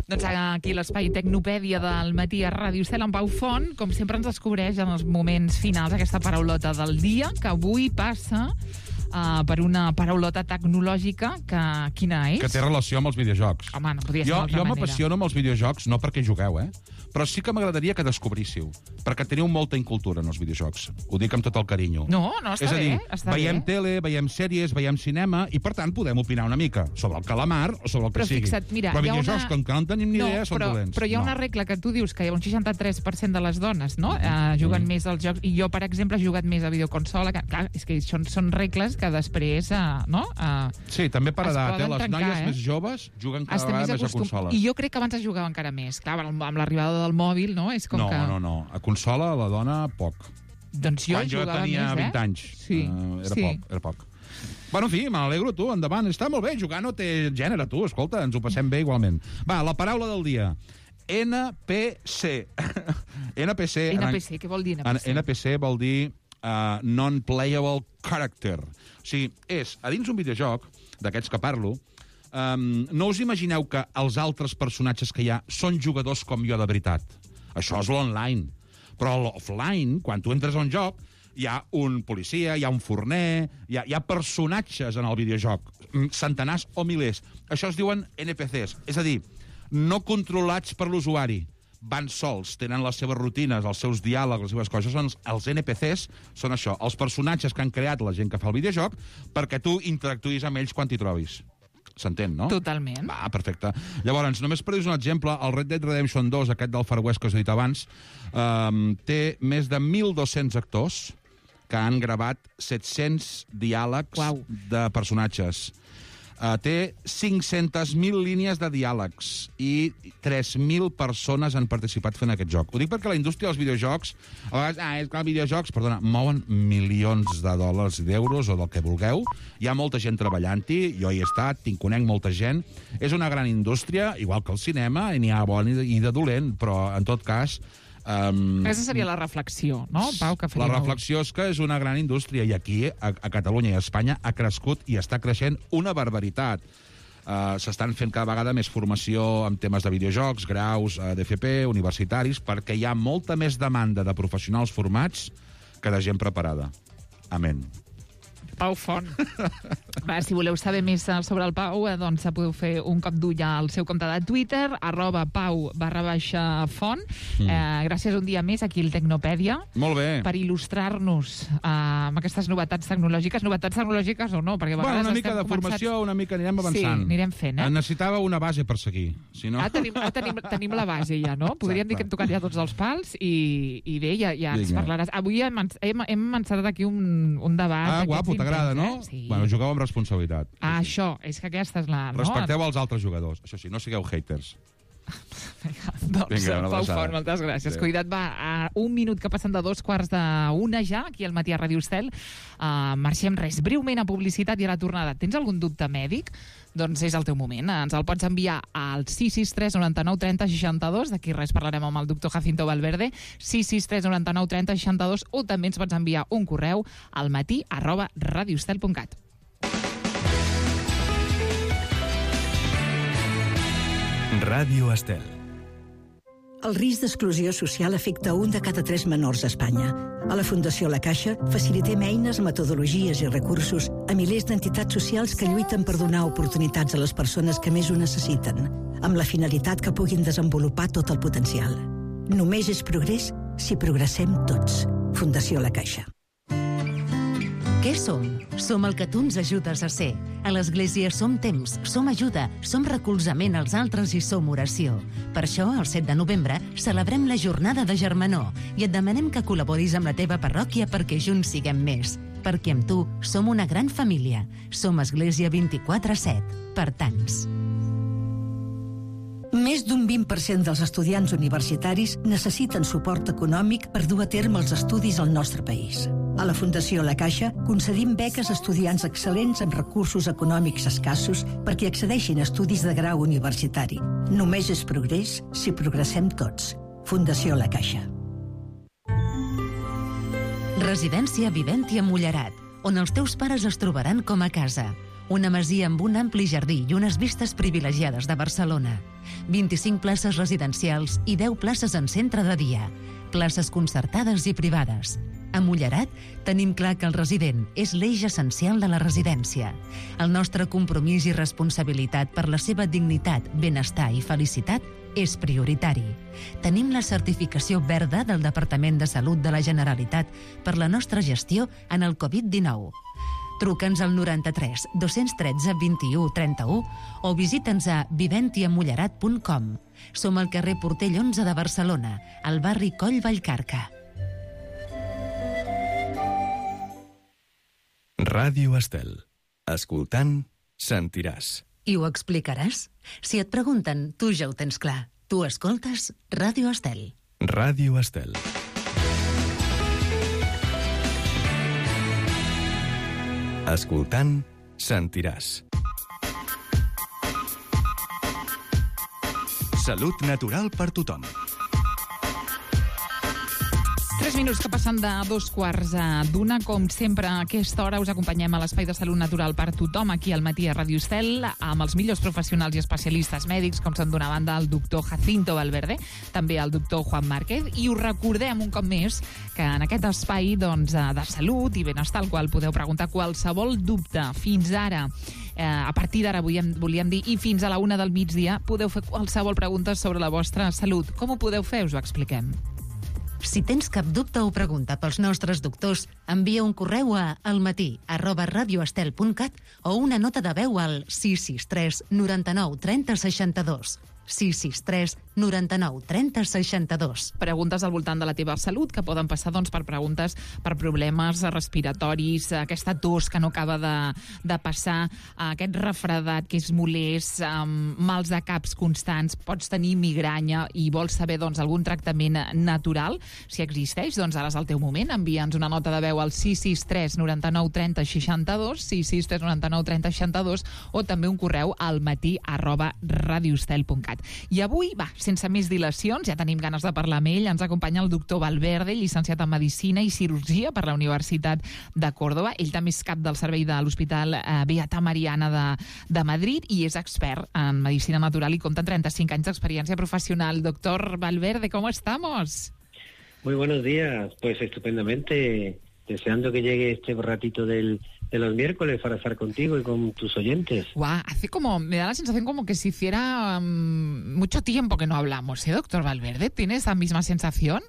Doncs aquí l'espai Tecnopèdia del matí a Ràdio Estel amb Pau Font, com sempre ens descobreix en els moments finals aquesta paraulota del dia, que avui passa uh, per una paraulota tecnològica que quina és? Que té relació amb els videojocs. Home, no podia ser Jo, d'altra jo manera. m'apassiono amb els videojocs, no perquè jugueu, eh? Però sí que m'agradaria que descobríssiu, perquè teniu molta incultura en els videojocs. Ho dic amb tot el carinyo. No, no, està És a dir, bé, està veiem bé. tele, veiem sèries, veiem cinema, i per tant podem opinar una mica sobre el calamar o sobre el que Però sigui. fixa't, mira, però hi ha videojocs, una- com que no en tenim ni no, idea, són però, dolents. Però hi ha no. una regla que tu dius que hi ha un seixanta-tres per cent de les dones, no?, eh, juguen Mm. més als jocs, i jo, per exemple, he jugat més a videoconsola, que, clar, és que són, són regles que després, eh, no?, eh, Sí, també per es edat, eh? poden Les trencar, noies eh? més joves juguen cada estem vegada més a acostum- consoles. I jo crec que abans es jugava encara més. Clar, amb amb l'arribada del mòbil, no?, és com no, que... no, no. A consola, la dona, poc. Doncs jo Quan jo jugava tenia més, eh? vint anys. Sí, eh, era sí. poc, era poc. Bueno, en fi, me n'alegro, tu, endavant. Està molt bé, jugar no té gènere, tu, escolta, ens ho passem bé igualment. Va, la paraula del dia. N P C. N P C... N P C, què vol dir N P C? N P C vol dir uh, non-playable character. O sigui, és, a dins un videojoc, d'aquests que parlo, um, no us imagineu que els altres personatges que hi ha són jugadors com jo de veritat. Això és l'online. Però l'offline, quan tu entres a un joc, hi ha un policia, hi ha un forner, hi ha, hi ha personatges en el videojoc, centenars o milers. Això es diuen N P Cs, és a dir, no controlats per l'usuari. Van sols, tenen les seves rutines, els seus diàlegs, les seves coses. Són els N P Cs, són això, els personatges que han creat la gent que fa el videojoc perquè tu interactuïs amb ells quan t'hi trobis. S'entén, no? Totalment. Va, perfecte. Llavors, només per dir un exemple, el Red Dead Redemption dos, aquest del Far West que us he dit abans, eh, té més de mil dos-cents actors que han gravat set-cents diàlegs wow. de personatges. Uh, té cinc-centes mil línies de diàlegs i tres mil persones han participat fent aquest joc. Ho dic perquè la indústria dels videojocs, a vegades, ah, és que els videojocs, perdona, mouen milions de dòlars, d'euros o del que vulgueu. Hi ha molta gent treballant-hi, jo hi he estat, tinc conec molta gent. És una gran indústria, igual que el cinema, i n'hi ha bon i de dolent, però en tot cas... Um, Aquesta seria la reflexió, no, Pau? Que la reflexió és que és una gran indústria i aquí, a, a Catalunya i a Espanya, ha crescut i està creixent una barbaritat. Uh, S'estan fent cada vegada més formació en temes de videojocs, graus uh, d'F P, universitaris, perquè hi ha molta més demanda de professionals formats que de gent preparada. Amén. Pau Font. Va, si voleu saber més sobre el Pau, eh, doncs podeu fer un cop d'ull al seu compte de Twitter, arroba pau barra baixa font. Mm. Eh, gràcies un dia més aquí al Tecnopèdia. Molt bé. Per il·lustrar-nos eh, amb aquestes novetats tecnològiques. Novetats tecnològiques o no? Perquè a bueno, una mica de començats... formació, una mica anirem avançant. Sí, anirem fent, eh? Necessitava una base per seguir. Si no... Ah, tenim, ah tenim, tenim la base ja, no? Podríem Exacte. dir que hem tocat ja tots els pals i, i bé, ja, ja ens parlaràs. Avui hem, hem, hem encetat aquí un, un debat. Ah, guapo, t'agrada, no? Eh? Sí. Bueno, jugueu amb responsabilitat. Ah, sí, sí. Això, és que aquesta és la... Respecteu no? els altres jugadors. Això sí, no sigueu haters. Doncs, Vinga, Pau Font, moltes gràcies. Sí. Cuida't, va, a un minut que passen de dos quarts d'una ja, aquí al matí a Ràdio Estel. Uh, marxem res, breument a publicitat i a la tornada. Tens algun dubte mèdic? Doncs és el teu moment. Ens el pots enviar al sis sis tres noranta-nou trenta seixanta-dos. D'aquí res parlarem amb el doctor Jacinto Valverde. sis sis tres noranta-nou trenta seixanta-dos, o també ens pots enviar un correu al matí arroba radioestel punt cat. Ràdio Estel. El risc d'exclusió social afecta un de cada tres menors a Espanya. A la Fundació La Caixa facilitem eines, metodologies i recursos a milers d'entitats socials que lluiten per donar oportunitats a les persones que més ho necessiten, amb la finalitat que puguin desenvolupar tot el potencial. Només és progrés si progressem tots. Fundació La Caixa. Què som? Som el que tu ens ajudes a ser. A l'Església som temps, som ajuda, som recolzament als altres i som oració. Per això, el set de novembre, celebrem la jornada de germanor i et demanem que col·laboris amb la teva parròquia perquè junts siguem més. Perquè amb tu som una gran família. Som Església vint-i-quatre set. Per tants. Més d'un vint per cent dels estudiants universitaris necessiten suport econòmic per dur a terme els estudis al nostre país. A la Fundació La Caixa concedim beques a estudiants excel·lents amb recursos econòmics escassos perquè accedeixin a estudis de grau universitari. Només és progrés si progressem tots. Fundació La Caixa. Residència Viventi a Mullerat, on els teus pares es trobaran com a casa. Una masia amb un ampli jardí i unes vistes privilegiades de Barcelona. vint-i-cinc places residencials i deu places en centre de dia. Places concertades i privades. A Mullerat tenim clar que el resident és l'eix essencial de la residència. El nostre compromís i responsabilitat per la seva dignitat, benestar i felicitat és prioritari. Tenim la certificació verda del Departament de Salut de la Generalitat per la nostra gestió en el covid dinou. Truca'ns al noranta-tres dos-cents tretze vint-i-u trenta-u o visita'ns a viventiamullerat punt com. Som al carrer Portell onze de Barcelona, al barri Coll Vallcarca. Ràdio Estel. Escoltant, sentiràs. I ho explicaràs? Si et pregunten, tu ja ho tens clar. Tu escoltes Ràdio Estel. Ràdio Estel. Escoltant, sentiràs. Salut natural per tothom. Tres minuts que passen de dos quarts d'una. Com sempre, a aquesta hora us acompanyem a l'Espai de Salut Natural per tothom, aquí al matí a Ràdio Estel, amb els millors professionals i especialistes mèdics, com són d'una banda el doctor Jacinto Valverde, també el doctor Juan Márquez, i us recordem un cop més que en aquest espai doncs, de salut i benestar, al qual podeu preguntar qualsevol dubte. Fins ara, eh, a partir d'ara, volíem, volíem dir, i fins a la una del migdia, podeu fer qualsevol pregunta sobre la vostra salut. Com ho podeu fer? Us ho expliquem. Si tens cap dubte o pregunta pels nostres doctors, envia un correu a almatí arroba radioestel punt cat o una nota de veu al sis sis tres noranta-nou trenta seixanta-dos. sis sis tres noranta-nou trenta seixanta-dos. Preguntes al voltant de la teva salut, que poden passar doncs, per preguntes per problemes respiratoris, aquesta tos que no acaba de, de passar, aquest refredat que és molest, amb mals de caps constants, pots tenir migranya i vols saber doncs, algun tractament natural. Si existeix, doncs ara és el teu moment. Envia'ns una nota de veu al sis sis tres noranta-nou trenta seixanta-dos, sis sis tres noranta-nou trenta seixanta-dos, o també un correu al matí arroba radioestel punt cat. I avui, va, sense més dilacions, ja tenim ganes de parlar amb ell, ens acompanya el doctor Valverde, llicenciat en Medicina i Cirurgia per la Universitat de Còrdova. Ell també és cap del servei de l'Hospital eh, Beata Mariana de, de Madrid i és expert en Medicina Natural i compta amb trenta-cinc anys d'experiència professional. Doctor Valverde, ¿cómo estamos? Muy buenos días, pues estupendamente, deseando que llegue este ratito del... de los miércoles para estar contigo y con tus oyentes. Guau, hace como, me da la sensación como que si hiciera um, mucho tiempo que no hablamos, ¿eh, doctor Valverde? ¿Tiene esa misma sensación?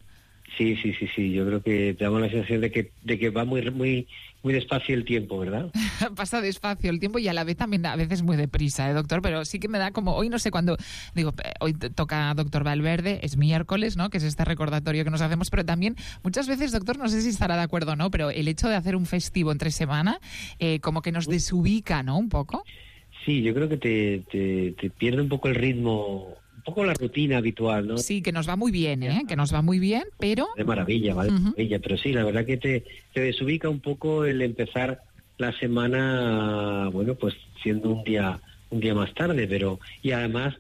Sí, sí, sí, sí, yo creo que te damos la sensación de que, de que va muy, muy, muy despacio el tiempo, ¿verdad? Pasa despacio el tiempo y a la vez también a veces muy deprisa, ¿eh, doctor? Pero sí que me da como, hoy no sé cuándo, digo, hoy toca doctor Valverde, es miércoles, ¿no? Que es este recordatorio que nos hacemos, pero también muchas veces, doctor, no sé si estará de acuerdo o no, pero el hecho de hacer un festivo entre semana, eh, como que nos desubica, ¿no? Un poco. Sí, yo creo que te, te, te pierde un poco el ritmo, un poco la rutina habitual, ¿no? Sí, que nos va muy bien, ¿eh? Que nos va muy bien, pero... De maravilla, ¿vale? Uh-huh. Maravilla, pero sí, la verdad que te, te desubica un poco el empezar la semana, bueno, pues siendo un día un día más tarde, pero... Y además,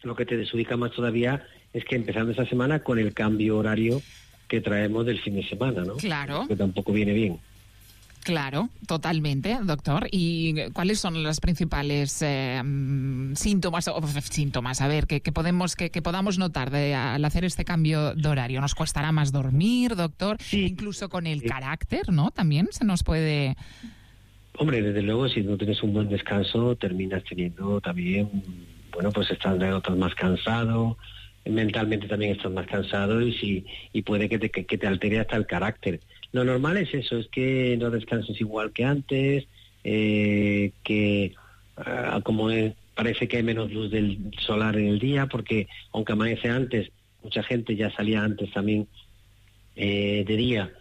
lo que te desubica más todavía es que empezando esa semana con el cambio horario que traemos del fin de semana, ¿no? Claro. Que tampoco viene bien. Claro, totalmente, doctor. ¿Y cuáles son los principales eh, síntomas, o síntomas, a ver, que, que podemos, que, que podamos notar de, al hacer este cambio de horario? ¿Nos costará más dormir, doctor? Sí. Incluso con el sí. carácter, ¿no? También se nos puede... Hombre, desde luego, si no tienes un buen descanso, terminas teniendo también, bueno, pues estás, estás más cansado, mentalmente también estás más cansado y, si, y puede que te, que, que te altere hasta el carácter. Lo normal es eso, es que no descanses igual que antes, eh, que uh, como es, parece que hay menos luz del solar en el día, porque aunque amanece antes, mucha gente ya salía antes también eh, de día,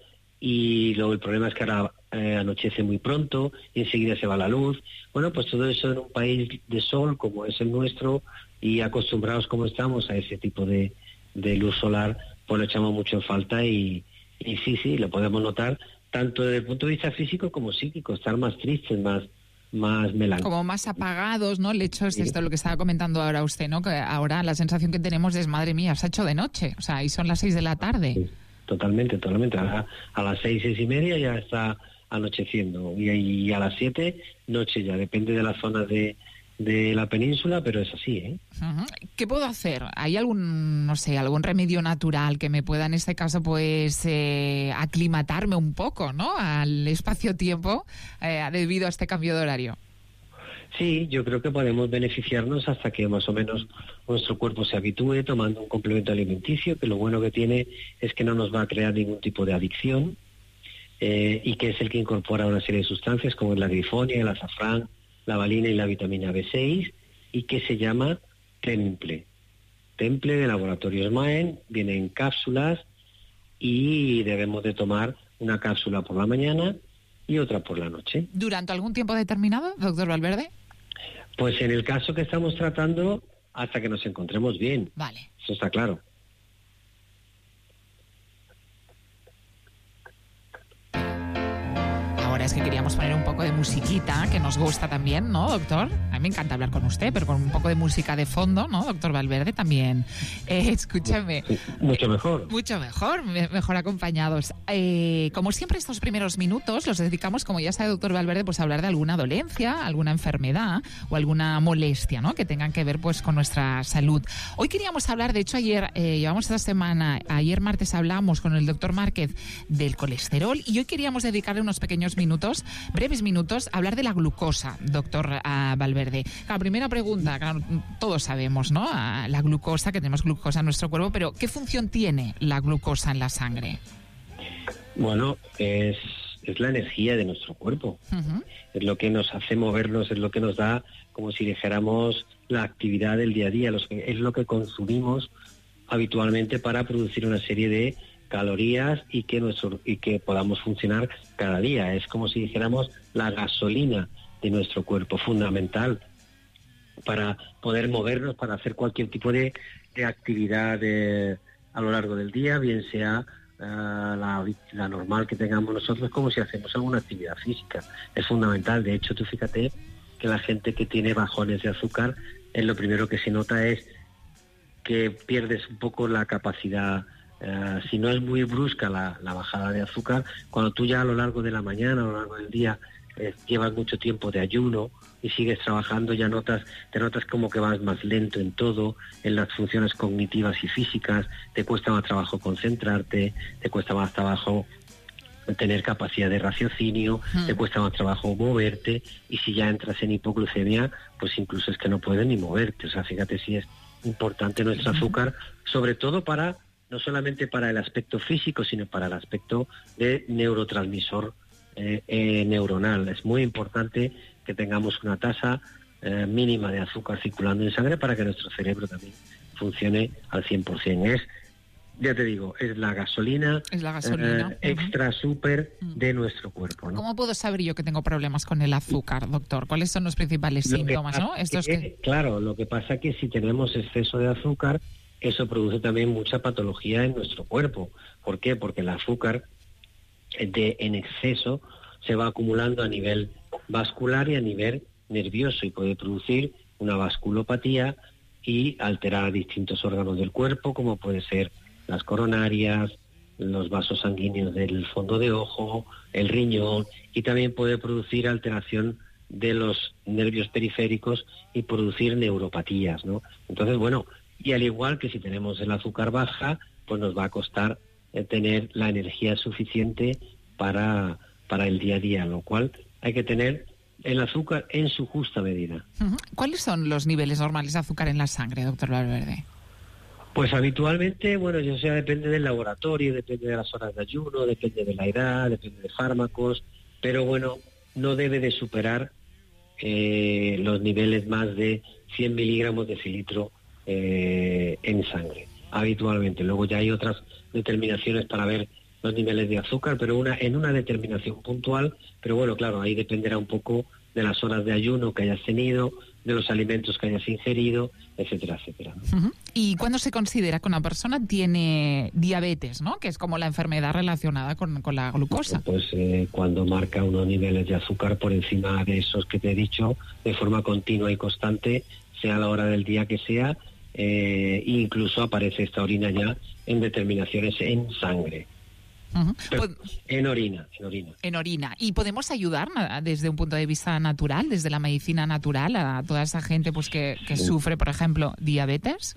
y luego el problema es que ahora eh, anochece muy pronto y enseguida se va la luz. Bueno, pues todo eso en un país de sol como es el nuestro y acostumbrados como estamos a ese tipo de, de luz solar, pues lo echamos mucho en falta y... Y sí, sí, lo podemos notar tanto desde el punto de vista físico como psíquico, estar más tristes, más, más melancólicos. Como más apagados, ¿no? El hecho es esto, lo que estaba comentando ahora usted, ¿no? Que ahora la sensación que tenemos es, madre mía, se ha hecho de noche, o sea, y son las seis de la tarde. Sí, totalmente, totalmente. A, a las seis, seis y media ya está anocheciendo y, y a las siete, noche ya, depende de las zonas de... de la península, pero es así, ¿eh? Uh-huh. ¿Qué puedo hacer? ¿Hay algún, no sé, algún remedio natural que me pueda en este caso pues eh, aclimatarme un poco, ¿no? Al espacio-tiempo eh, debido a este cambio de horario. Sí, yo creo que podemos beneficiarnos hasta que más o menos nuestro cuerpo se habitúe tomando un complemento alimenticio, que lo bueno que tiene es que no nos va a crear ningún tipo de adicción eh, y que es el que incorpora una serie de sustancias como la grifonia, el azafrán, la valina y la vitamina B seis, y que se llama Temple. Temple de Laboratorios Maen, viene en cápsulas y debemos de tomar una cápsula por la mañana y otra por la noche. ¿Durante algún tiempo determinado, doctor Valverde? Pues en el caso que estamos tratando, hasta que nos encontremos bien. Vale. Eso está claro. Ahora es que queríamos poner un poco de musiquita, que nos gusta también, ¿no, doctor? A mí me encanta hablar con usted, pero con un poco de música de fondo, ¿no, doctor Valverde? También. Eh, escúchame. Mucho mejor. Mucho mejor, me- mejor acompañados. Eh, como siempre, estos primeros minutos los dedicamos, como ya sabe, doctor Valverde, pues a hablar de alguna dolencia, alguna enfermedad o alguna molestia, ¿no?, que tengan que ver pues con nuestra salud. Hoy queríamos hablar, de hecho, ayer, eh, llevamos esta semana, ayer martes hablamos con el doctor Márquez del colesterol y hoy queríamos dedicarle unos pequeños minutos, breves minutos, a hablar de la glucosa, doctor uh, Valverde. La primera pregunta, claro, todos sabemos, ¿no?, uh, la glucosa, que tenemos glucosa en nuestro cuerpo, pero ¿qué función tiene la glucosa en la sangre? Bueno, es, es la energía de nuestro cuerpo. Uh-huh. Es lo que nos hace movernos, es lo que nos da, como si dijéramos, la actividad del día a día. Los que, es lo que consumimos habitualmente para producir una serie de calorías y que nuestro y que podamos funcionar cada día. Es como si dijéramos la gasolina de nuestro cuerpo, fundamental para poder movernos, para hacer cualquier tipo de, de actividad de, a lo largo del día, bien sea uh, la, la normal que tengamos nosotros, como si hacemos alguna actividad física. Es fundamental. De hecho, tú fíjate que la gente que tiene bajones de azúcar, es lo primero que se nota es que pierdes un poco la capacidad. Uh, si no es muy brusca la, la bajada de azúcar, cuando tú ya a lo largo de la mañana, a lo largo del día, eh, llevas mucho tiempo de ayuno y sigues trabajando, ya notas, te notas como que vas más lento en todo, en las funciones cognitivas y físicas, te cuesta más trabajo concentrarte, te cuesta más trabajo tener capacidad de raciocinio, hmm. te cuesta más trabajo moverte, y si ya entras en hipoglucemia, pues incluso es que no puedes ni moverte. O sea, fíjate si es importante nuestro hmm. azúcar, sobre todo para, no solamente para el aspecto físico, sino para el aspecto de neurotransmisor eh, eh, neuronal. Es muy importante que tengamos una tasa eh, mínima de azúcar circulando en sangre para que nuestro cerebro también funcione al cien por ciento. Es, ya te digo, es la gasolina, es la gasolina. Eh, extra súper de nuestro cuerpo, ¿no? ¿Cómo puedo saber yo que tengo problemas con el azúcar, doctor? ¿Cuáles son los principales Lo síntomas, no? que, Estos que... Claro, lo que pasa es que si tenemos exceso de azúcar, eso produce también mucha patología en nuestro cuerpo. ¿Por qué? Porque el azúcar de, en exceso se va acumulando a nivel vascular y a nivel nervioso y puede producir una vasculopatía y alterar distintos órganos del cuerpo, como puede ser las coronarias, los vasos sanguíneos del fondo de ojo, el riñón, y también puede producir alteración de los nervios periféricos y producir neuropatías, ¿no? Entonces, bueno, y al igual que si tenemos el azúcar baja, pues nos va a costar eh, tener la energía suficiente para, para el día a día, lo cual hay que tener el azúcar en su justa medida. Uh-huh. ¿Cuáles son los niveles normales de azúcar en la sangre, doctor Valverde? Pues habitualmente, bueno, ya sea depende del laboratorio, depende de las horas de ayuno, depende de la edad, depende de fármacos, pero bueno, no debe de superar eh, los niveles más de cien miligramos de cilitro eh, en sangre, habitualmente. Luego ya hay otras determinaciones para ver los niveles de azúcar, pero una en una determinación puntual, pero bueno, claro, ahí dependerá un poco de las horas de ayuno que hayas tenido, de los alimentos que hayas ingerido, etcétera, etcétera. Uh-huh. ¿Y cuándo se considera que una persona tiene diabetes, ¿no?, que es como la enfermedad relacionada con, con la glucosa? Pues eh, cuando marca unos niveles de azúcar por encima de esos que te he dicho, de forma continua y constante, sea la hora del día que sea, eh, incluso aparece esta orina ya en determinaciones en sangre. Uh-huh. Pero en orina, en orina. En orina. ¿Y podemos ayudar desde un punto de vista natural, desde la medicina natural, a toda esa gente pues que, que sufre, por ejemplo, diabetes?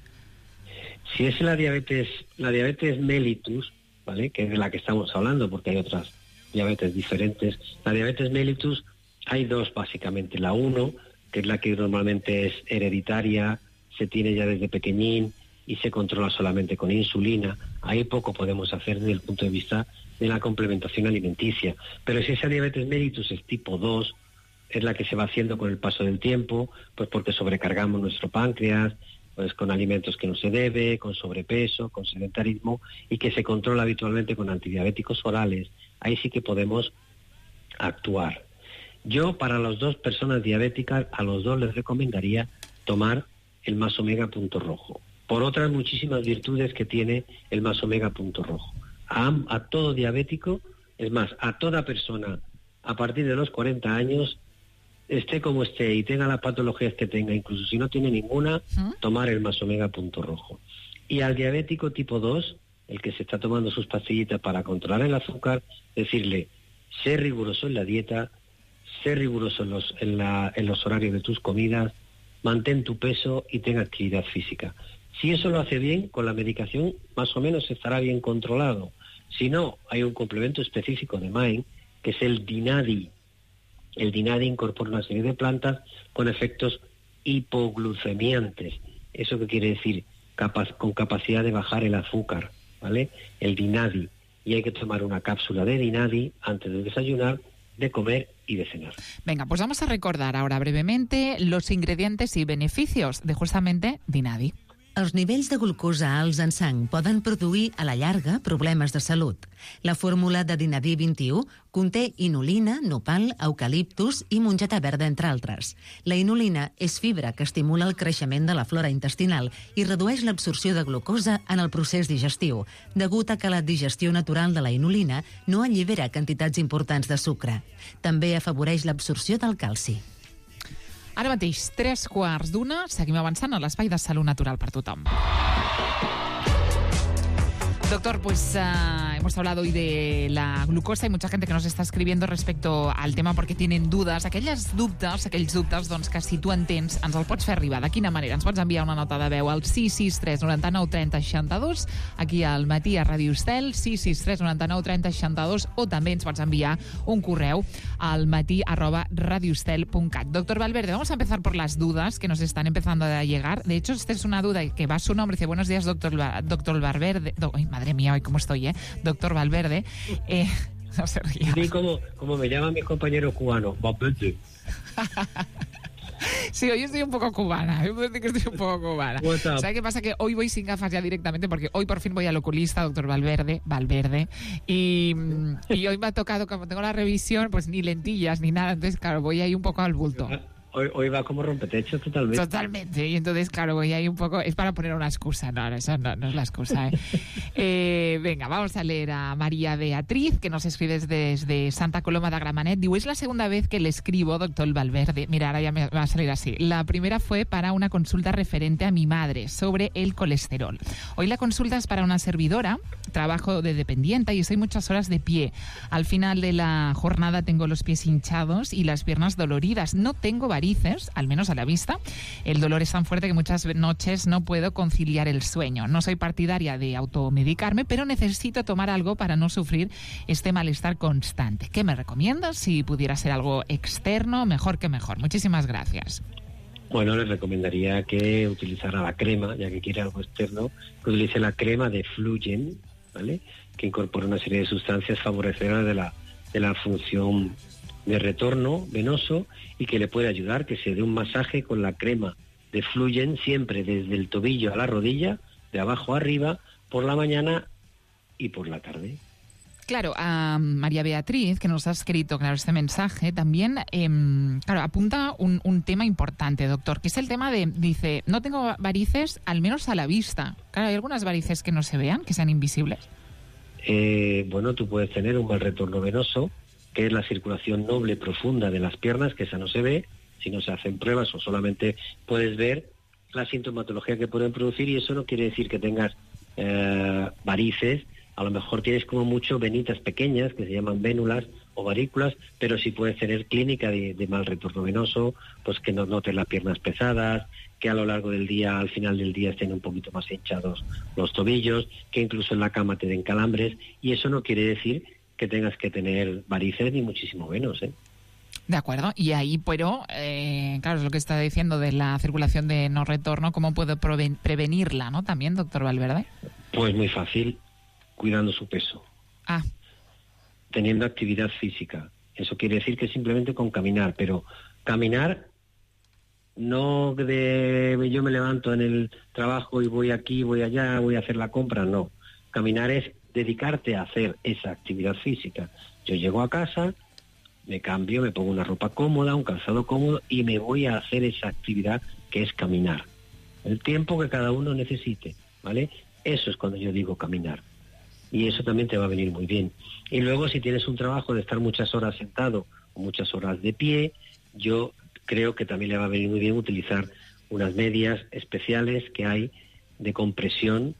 Si es la diabetes, la diabetes mellitus, ¿vale?, que es de la que estamos hablando, porque hay otras diabetes diferentes. La diabetes mellitus hay dos básicamente. La uno, que es la que normalmente es hereditaria, se tiene ya desde pequeñín y se controla solamente con insulina. Ahí poco podemos hacer desde el punto de vista de la complementación alimenticia. Pero si esa diabetes mellitus es tipo dos, es la que se va haciendo con el paso del tiempo, pues porque sobrecargamos nuestro páncreas, pues con alimentos que no se debe, con sobrepeso, con sedentarismo, y que se controla habitualmente con antidiabéticos orales. Ahí sí que podemos actuar. Yo, para las dos personas diabéticas, a los dos les recomendaría tomar el Más Omega Punto Rojo, por otras muchísimas virtudes que tiene el Más Omega Punto Rojo. A, a todo diabético, es más, a toda persona a partir de los cuarenta años, esté como esté y tenga las patologías que tenga, incluso si no tiene ninguna, tomar el Más Omega Punto Rojo. Y al diabético tipo dos, el que se está tomando sus pastillitas para controlar el azúcar, decirle, sé riguroso en la dieta, sé riguroso en los, en, la, en los horarios de tus comidas, mantén tu peso y ten actividad física. Si eso lo hace bien, con la medicación más o menos estará bien controlado. Si no, hay un complemento específico de Mind, que es el Dinadi. El Dinadi incorpora una serie de plantas con efectos hipoglucemiantes. ¿Eso qué quiere decir? Capaz, con capacidad de bajar el azúcar, ¿vale? El Dinadi. Y hay que tomar una cápsula de Dinadi antes de desayunar, de comer y de cenar. Venga, pues vamos a recordar ahora brevemente los ingredientes y beneficios de justamente Dinadi. Els nivells de glucosa alts en sang poden produir, a la llarga, problemes de salut. La fórmula de Dinadi vint-i-u conté inulina, nopal, eucaliptus i mongeta verda, entre altres. La inulina és fibra que estimula el creixement de la flora intestinal i redueix l'absorció de glucosa en el procés digestiu, degut a que la digestió natural de la inulina no allibera quantitats importants de sucre. També afavoreix l'absorció del calci. Ara mateix, tres quarts d'una, seguim avançant a l'espai de salut natural per tothom. Doctor, pues uh, hemos hablado hoy de la glucosa. Hay mucha gente que nos está escribiendo respecto al tema porque tienen dudas. Aquelles dubtes, aquells dubtes doncs, que si tu en tens, ens el pots fer arribar. De quina manera? Ens pots enviar una nota de veu al sis sis tres noranta-nou trenta seixanta-dos, aquí al matí a Ràdio Estel, sis sis tres noranta-nou trenta seixanta-dos, o també ens pots enviar un correu al matí arroba radioestel punt cat. Doctor Valverde, vamos a empezar por las dudas que nos están empezando a llegar. De hecho, esta es una duda que va a su nombre. Dice, buenos días, doctor, doctor Valverde. Do, ay, madre mía, hoy cómo estoy, ¿eh? Doctor Valverde. Eh, no se ría. Sí, como, como me llaman mis compañeros cubanos, Valverde. Sí, hoy estoy un poco cubana. Yo puedo decir que estoy un poco cubana. ¿Sabes qué pasa? Que hoy voy sin gafas ya directamente porque hoy por fin voy al oculista, doctor Valverde, Valverde, y, y hoy me ha tocado, como tengo la revisión, pues ni lentillas ni nada. Entonces, claro, voy ahí un poco al bulto. Hoy, hoy va como rompetechos totalmente. Totalmente. Y entonces, claro, voy ahí un poco... Es para poner una excusa. No, eso no, no es la excusa, ¿eh? eh, venga, vamos a leer a María Beatriz, que nos escribe desde Santa Coloma de Gramenet. Digo, es la segunda vez que le escribo, doctor Valverde. Mira, ahora ya me va a salir así. La primera fue para una consulta referente a mi madre sobre el colesterol. Hoy la consulta es para una servidora. Trabajo de dependiente y estoy muchas horas de pie. Al final de la jornada tengo los pies hinchados y las piernas doloridas. No tengo varices, al menos a la vista. El dolor es tan fuerte que muchas noches no puedo conciliar el sueño. No soy partidaria de automedicarme, pero necesito tomar algo para no sufrir este malestar constante. ¿Qué me recomiendas? Si pudiera ser algo externo, mejor que mejor. Muchísimas gracias. Bueno, les recomendaría que utilizara la crema, ya que quiere algo externo, que utilice la crema de Flugen, ¿vale? Que incorpora una serie de sustancias favorecedoras de la, de la función de retorno venoso y que le puede ayudar, que se dé un masaje con la crema de Flugen siempre desde el tobillo a la rodilla, de abajo a arriba, por la mañana y por la tarde. Claro, a María Beatriz, que nos ha escrito claro, este mensaje, también eh, claro, apunta un, un tema importante, doctor, que es el tema de, dice, no tengo varices, al menos a la vista. Claro, ¿hay algunas varices que no se vean, que sean invisibles? Eh, bueno, tú puedes tener un mal retorno venoso, que es la circulación noble profunda de las piernas, que esa no se ve, si no se hacen pruebas o solamente puedes ver la sintomatología que pueden producir, y eso no quiere decir que tengas eh, varices. A lo mejor tienes como mucho venitas pequeñas, que se llaman vénulas o varículas, pero sí puedes tener clínica de, de mal retorno venoso, pues que no notes las piernas pesadas, que a lo largo del día, al final del día, estén un poquito más hinchados los tobillos, que incluso en la cama te den calambres, y eso no quiere decir que tengas que tener varices ni muchísimo menos, ¿eh? De acuerdo, y ahí, pero, eh, claro, es lo que está diciendo de la circulación de no retorno, ¿cómo puedo prevenirla, no? También, doctor Valverde. Pues muy fácil, cuidando su peso. Ah. Teniendo actividad física. Eso quiere decir que simplemente con caminar, pero caminar no de yo me levanto en el trabajo y voy aquí, voy allá, voy a hacer la compra, no. Caminar es dedicarte a hacer esa actividad física. Yo llego a casa, me cambio, me pongo una ropa cómoda, un calzado cómodo y me voy a hacer esa actividad que es caminar. El tiempo que cada uno necesite, ¿vale? Eso es cuando yo digo caminar. Y eso también te va a venir muy bien. Y luego, si tienes un trabajo de estar muchas horas sentado o muchas horas de pie, yo creo que también le va a venir muy bien utilizar unas medias especiales que hay de compresión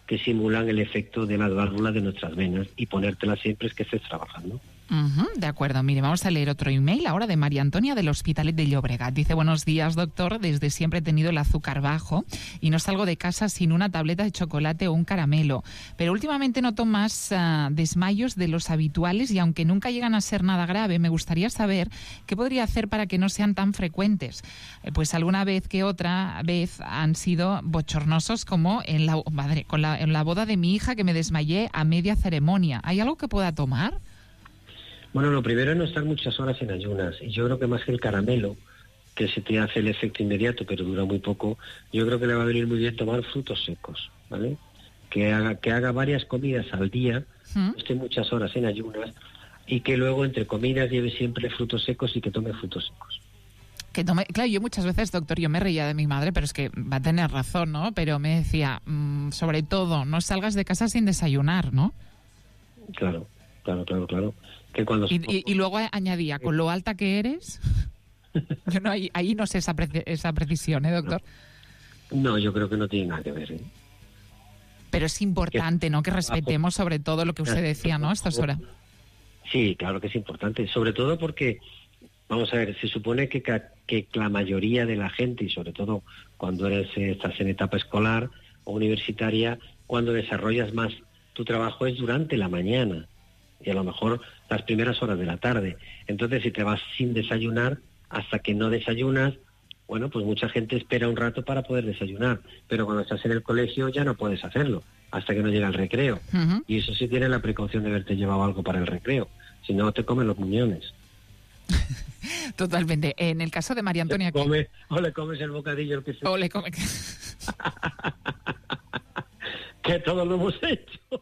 que simulan el efecto de las válvulas de nuestras venas y ponértelas siempre es que estés trabajando. Uh-huh, de acuerdo, mire, vamos a leer otro email ahora de María Antonia del Hospitalet de Llobregat. Dice, buenos días, doctor, desde siempre he tenido el azúcar bajo y no salgo de casa sin una tableta de chocolate o un caramelo, pero últimamente noto más uh, desmayos de los habituales y aunque nunca llegan a ser nada grave, me gustaría saber qué podría hacer para que no sean tan frecuentes. Eh, pues alguna vez que otra vez han sido bochornosos, como en la, madre, con la, en la boda de mi hija, que me desmayé a media ceremonia. ¿Hay algo que pueda tomar? Bueno, lo primero es no estar muchas horas en ayunas. Y yo creo que más que el caramelo, que se te hace el efecto inmediato, pero dura muy poco, yo creo que le va a venir muy bien tomar frutos secos, ¿vale? Que haga, que haga varias comidas al día, ¿Mm? esté muchas horas en ayunas, y que luego entre comidas lleve siempre frutos secos y que tome frutos secos. Que tome, claro, yo muchas veces, doctor, yo me reía de mi madre, pero es que va a tener razón, ¿no? Pero me decía, mmm, sobre todo, no salgas de casa sin desayunar, ¿no? Claro, claro, claro, claro. Que cuando... y, y, y luego añadía, con lo alta que eres, yo no, ahí, ahí no sé esa, pre esa precisión, ¿eh, doctor? No. no, yo creo que no tiene nada que ver, ¿eh? Pero es importante, ¿no?, que respetemos sobre todo lo que usted decía, ¿no?, a estas horas. Sí, claro que es importante, sobre todo porque, vamos a ver, se supone que, que la mayoría de la gente, y sobre todo cuando eres, estás en etapa escolar o universitaria, cuando desarrollas más tu trabajo es durante la mañana, y a lo mejor las primeras horas de la tarde. Entonces, si te vas sin desayunar, hasta que no desayunas, bueno, pues mucha gente espera un rato para poder desayunar, pero cuando estás en el colegio ya no puedes hacerlo, hasta que no llega el recreo. Uh-huh. Y eso sí tiene la precaución de haberte llevado algo para el recreo, si no te comen los muñones. Totalmente. En el caso de María Antonia... Come, o le comes el bocadillo. El que se... O le come... que todos lo hemos hecho.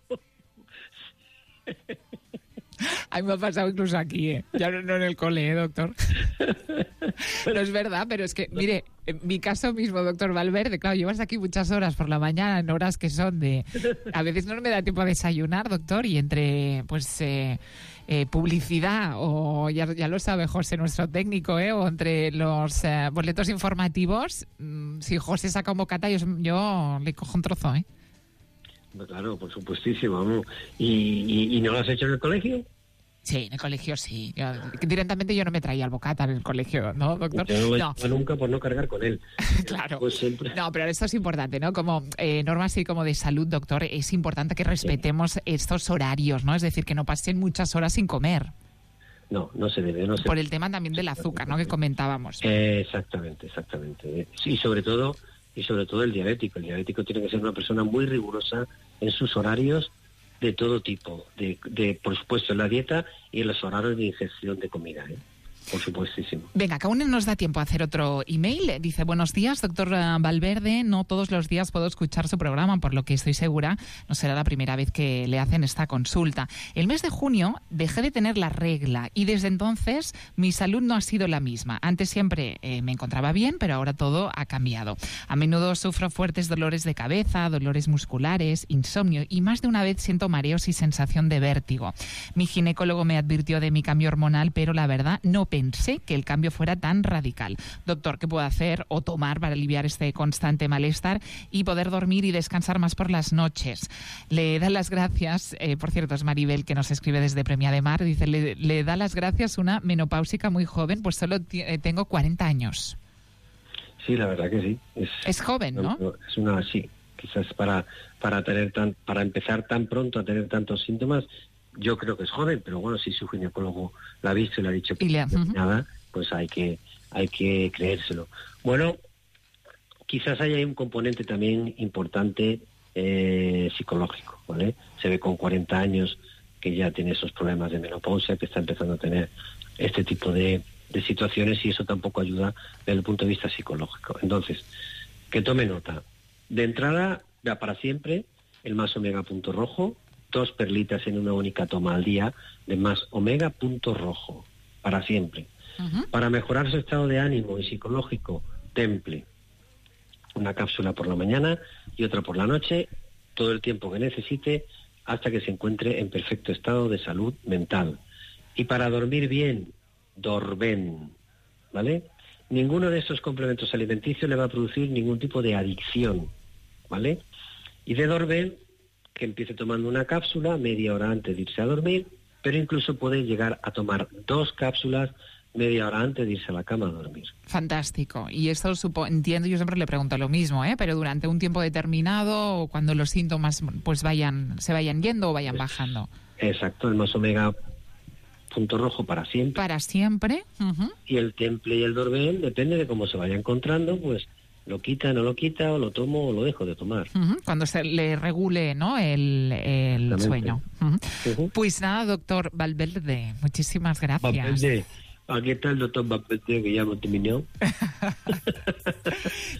A mí me ha pasado incluso aquí, ¿eh? Ya no, no en el cole, ¿eh, doctor? No es verdad, pero es que, mire, en mi caso mismo, doctor Valverde, claro, llevas aquí muchas horas por la mañana, en horas que son de... A veces no me da tiempo a desayunar, doctor, y entre, pues, eh, eh, publicidad, o ya, ya lo sabe José, nuestro técnico, ¿eh? O entre los eh, boletos informativos, mmm, si José saca un bocata, yo, yo le cojo un trozo, ¿eh? Claro, por supuestísimo. ¿No? ¿Y, y, ¿Y no lo has hecho en el colegio? Sí, en el colegio sí. Yo, directamente yo no me traía el bocata en el colegio, ¿no, doctor? Yo no lo he no. hecho nunca por no cargar con él. Claro. Pues siempre... No, pero esto es importante, ¿no? Como eh, norma así como de salud, doctor, es importante que respetemos sí. estos horarios, ¿no? Es decir, que no pasen muchas horas sin comer. No, no se debe. No se por debe. El tema también del azúcar, ¿no? Que comentábamos. Eh, exactamente, exactamente. Y sobre todo... y sobre todo el diabético. El diabético tiene que ser una persona muy rigurosa en sus horarios de todo tipo, de, de por supuesto en la dieta y en los horarios de ingestión de comida, ¿eh? Por supuestísimo. Venga, que aún nos da tiempo a hacer otro email. Dice, buenos días, doctor Valverde. No todos los días puedo escuchar su programa, por lo que estoy segura no será la primera vez que le hacen esta consulta. El mes de junio dejé de tener la regla y desde entonces mi salud no ha sido la misma. Antes siempre eh, me encontraba bien, pero ahora todo ha cambiado. A menudo sufro fuertes dolores de cabeza, dolores musculares, insomnio y más de una vez siento mareos y sensación de vértigo. Mi ginecólogo me advirtió de mi cambio hormonal, pero la verdad no pensé que el cambio fuera tan radical. Doctor, ¿qué puedo hacer o tomar para aliviar este constante malestar y poder dormir y descansar más por las noches? Le da las gracias, eh, por cierto, es Maribel que nos escribe desde Premia de Mar, dice, le, le da las gracias una menopáusica muy joven, pues solo eh, tengo cuarenta años. Sí, la verdad que sí. Es, es joven, ¿no? Es una, sí, quizás para, para, tener tan, para empezar tan pronto a tener tantos síntomas, yo creo que es joven, pero bueno, si su ginecólogo la ha visto y le ha dicho que le, no uh-huh. nada, pues hay que hay que creérselo. Bueno, quizás haya un componente también importante eh, psicológico, ¿vale? Se ve con cuarenta años que ya tiene esos problemas de menopausia, que está empezando a tener este tipo de, de situaciones y eso tampoco ayuda desde el punto de vista psicológico. Entonces, que tome nota. De entrada, ya para siempre, el Más Omega Punto Rojo, dos perlitas en una única toma al día de Más Omega Punto Rojo, para siempre. Uh-huh. Para mejorar su estado de ánimo y psicológico, Temple. Una cápsula por la mañana y otra por la noche, todo el tiempo que necesite, hasta que se encuentre en perfecto estado de salud mental. Y para dormir bien, Dorben, ¿vale? Ninguno de estos complementos alimenticios le va a producir ningún tipo de adicción, ¿vale? Y de Dorben, que empiece tomando una cápsula media hora antes de irse a dormir, pero incluso puede llegar a tomar dos cápsulas media hora antes de irse a la cama a dormir. Fantástico. Y esto supo, entiendo, yo siempre le pregunto lo mismo, ¿eh? Pero durante un tiempo determinado, o cuando los síntomas pues vayan, se vayan yendo o vayan bajando. Exacto, el Más Omega punto rojo para siempre. Para siempre. Uh-huh. Y el Temple y el Dorben, depende de cómo se vaya encontrando, pues lo quita, no lo quita, o lo tomo o lo dejo de tomar. Uh-huh. Cuando se le regule, ¿no?, el, el sueño. Uh-huh. Uh-huh. Pues nada, doctor Valverde, muchísimas gracias. Valverde. Aquí está el doctor Valverde, que ya hemos terminado.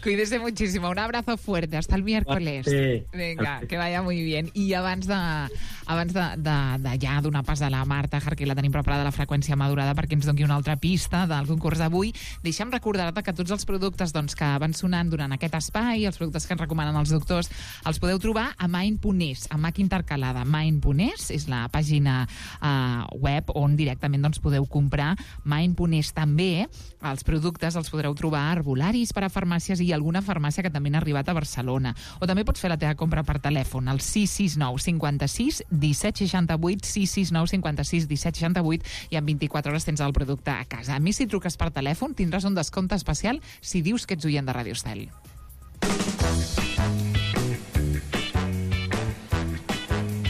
Cuídese muchísimo. Un abrazo fuerte. Hasta el miércoles. Sí. Venga, que vaya muy bien. I abans de, abans de, de, de ja donar pas a la Marta Jarque, la tenim preparada a la freqüència madurada perquè ens doni una altra pista del concurs d'avui, deixa'm recordar-te que tots els productes doncs, que van sonant durant aquest espai, els productes que ens recomanen els doctors, els podeu trobar a Mind punt es, a Mac intercalada. Mind punt es és la pàgina uh, web on directament doncs, podeu comprar Mind punt es també. Els productes els podreu trobar a arbolaris per a farmàcies i alguna farmàcia que també han arribat a Barcelona. O també pots fer la teva compra per telèfon al sis sis nou cinquanta-sis disset seixanta-vuit, sis sis nou cinquanta-sis disset seixanta-vuit, i en vint-i-quatre hores tens el producte a casa. A més, si truques per telèfon tindràs un descompte especial si dius que ets oient de Radio Estel.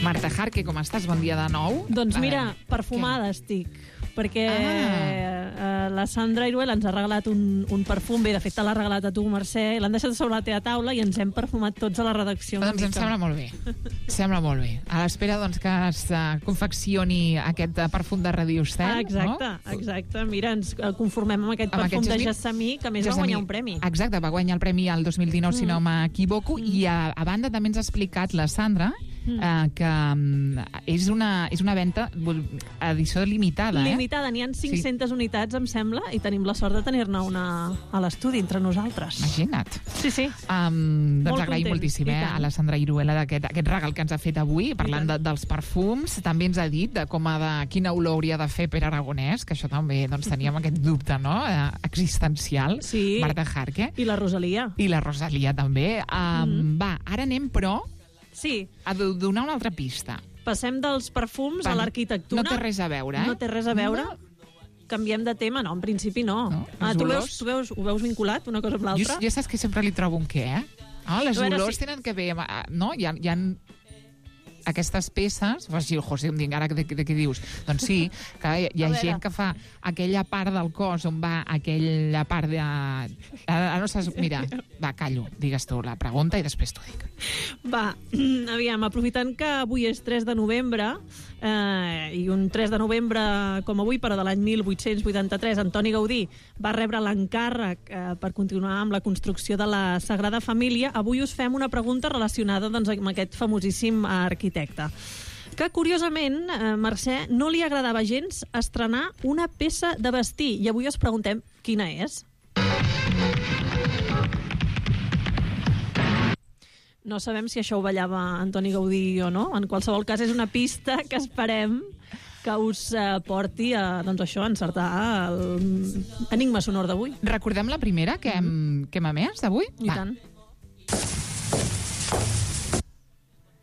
Marta Jarque, com estàs? Bon dia de nou. Doncs mira, perfumada estic, perquè ah. la Sandra Iruel ens ha regalat un, un perfum. Bé, de fet, te l'ha regalat a tu, Mercè. L'han deixat sobre la teva taula i ens hem perfumat tots a la redacció. Doncs em sembla molt bé. Sembla molt bé. A l'espera doncs, que es uh, confeccioni aquest uh, perfum de Radio Estel. Ah, exacte, no? exacte. Mira, ens conformem amb aquest amb perfum aquest de Gessamí, que a més Gessamí. va guanyar un premi. Exacte, va guanyar el premi al dos mil dinou, mm. si no m'equivoco, mm. i a, a banda també ens ha explicat la Sandra mm. eh, que um, és, una, és una venda edició limitada. Limitada, eh? n'hi ha cinc-centes sí. unitats, em sembla, i tenim la sort de tenir-ne una a l'estudi entre nosaltres. Imagina't. Sí, sí. Um, doncs Molt agraïm content, moltíssim eh, a la Sandra Iruela d'aquest aquest regal que ens ha fet avui, parlant de, dels perfums. També ens ha dit de com ha de, quina olor hauria de fer Pere Aragonès, que això també doncs, teníem aquest dubte, no?, eh, existencial. Sí. Marta Jarque. I la Rosalia. I la Rosalia també. Um, mm. Va, ara anem, però, sí. a donar una altra pista. Passem dels perfums Va, a l'arquitectura. No té res a veure, eh? No té res a veure. No. Canviem de tema? No, en principi no. no ah, tu, veus, tu veus, ho veus vinculat, una cosa amb l'altra? Jo, jo saps que sempre li trobo un què, eh? Ah, les olors si... tenen que ver... No? Hi ha, hi ha aquestes peces... O sigui, José, em dic, ara de, de què dius? Doncs sí, que hi, hi ha gent que fa aquella part del cos on va aquella part de... Ara no saps... Mira, va, callo, digues tu la pregunta i després t'ho dic. Va, aviam, aprofitant que avui és tres de novembre, eh, i un tres de novembre com avui, però de l'any mil vuit-cents vuitanta-tres, Antoni Gaudí va rebre l'encàrrec eh, per continuar amb la construcció de la Sagrada Família. Avui us fem una pregunta relacionada doncs, amb aquest famosíssim arquitecte, que curiosament, eh, Mercè, no li agradava gens estrenar una peça de vestir, i avui us preguntem quina és. No sabem si això ho ballava Antoni Gaudí o no. En qualsevol cas, és una pista que esperem que us eh, porti a, doncs això, a encertar l'enigma sonor d'avui. Recordem la primera que hem, que hem emès d'avui? I tant.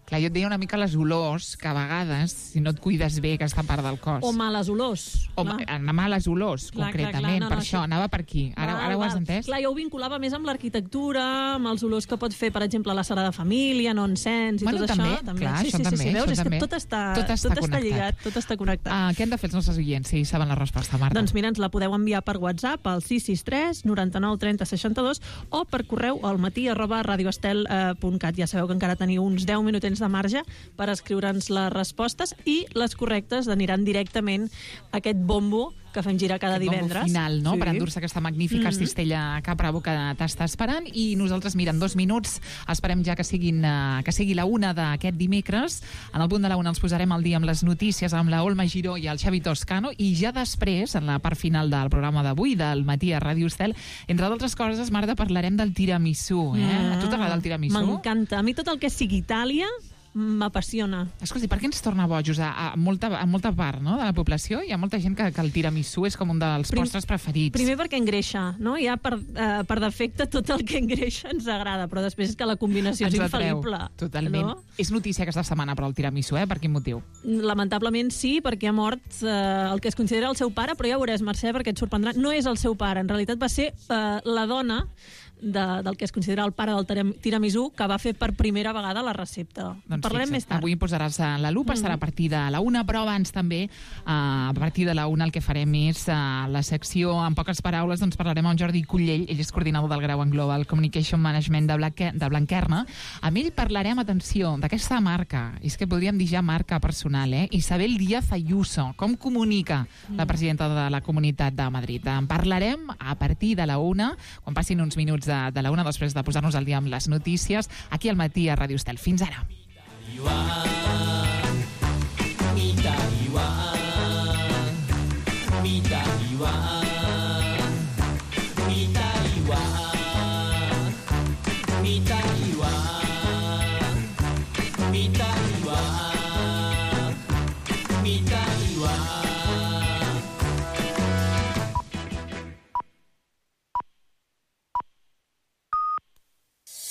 Clar, jo et deia una mica les olors, que a vegades, si no et cuides bé aquesta part del cos... O males olors. O anar males olors, clar, concretament. Clar, clar, no, per no, això, això, anava per aquí. Ara, val, ara ho has entès? Clar, jo ho vinculava més amb l'arquitectura, amb els olors que pot fer, per exemple, la Sagrada Família, no encens i bueno, tot també, això. També. Clar, sí, això sí, també, sí, sí, veus? això És també. que tot està, tot està, tot està lligat, tot està connectat. Ah, què han de fer els nostres oients, si saben la resposta, Marta? Doncs mira, ens la podeu enviar per WhatsApp al sis sis tres noranta-nou trenta seixanta-dos o per correu al matí arroba radioestel punt cat. Ja sabeu que encara teniu uns deu minutets de marge per escriure'ns les respostes, i les correctes aniran directament a aquest bombo que fem girar cada aquest divendres. Bombo final, no?, sí. Per endur-se aquesta magnífica mm-hmm. cistella Capra que t'està esperant, i nosaltres, mira, en dos minuts esperem ja que, siguin, uh, que sigui la una d'aquest dimecres. En el punt de la una els posarem al dia amb les notícies amb la Olma Giró i el Xavi Toscano, i ja després, en la part final del programa d'avui, del matí a Ràdio Estel, entre d'altres coses, Marta, parlarem del tiramisú. Eh? Mm. A tu t'agrada el tiramisú? M'encanta. A mi tot el que sigui Itàlia m'apassiona. Escolti, per què ens torna bojos a, a, molta, a molta part, no?, de la població? Hi ha molta gent que, que el tiramisú és com un dels Prim, postres preferits. Primer perquè engreixa, no? Ja per, eh, per defecte tot el que engreixa ens agrada, però després és que la combinació Ens és atreu, infal·lible. Totalment. No? És notícia aquesta setmana, però el tiramisú, eh? Per quin motiu? Lamentablement sí, perquè ha mort eh, el que es considera el seu pare, però ja veuràs, Mercè, perquè et sorprendrà, no és el seu pare, en realitat va ser eh, la dona de, del que es considera el pare del tiramisú, que va fer per primera vegada la recepta. Doncs Parlarem fixa't, més tard. avui posaràs la lupa, mm. estarà a partir de la una, però abans també, uh, a partir de la una el que farem és uh, la secció, en poques paraules, doncs parlarem amb Jordi Cullell, ell és coordinador del grau en Global Communication Management de, Blanque, de Blanquerna. Amb ell parlarem, atenció, d'aquesta marca, és que podríem dir ja marca personal, eh? Isabel Díaz Ayuso, com comunica mm. la presidenta de la Comunitat de Madrid. En parlarem a partir de la una, quan passin uns minuts de, de la una, després de posar-nos al dia amb les notícies, aquí al matí a Ràdio Estel. Fins ara. Mita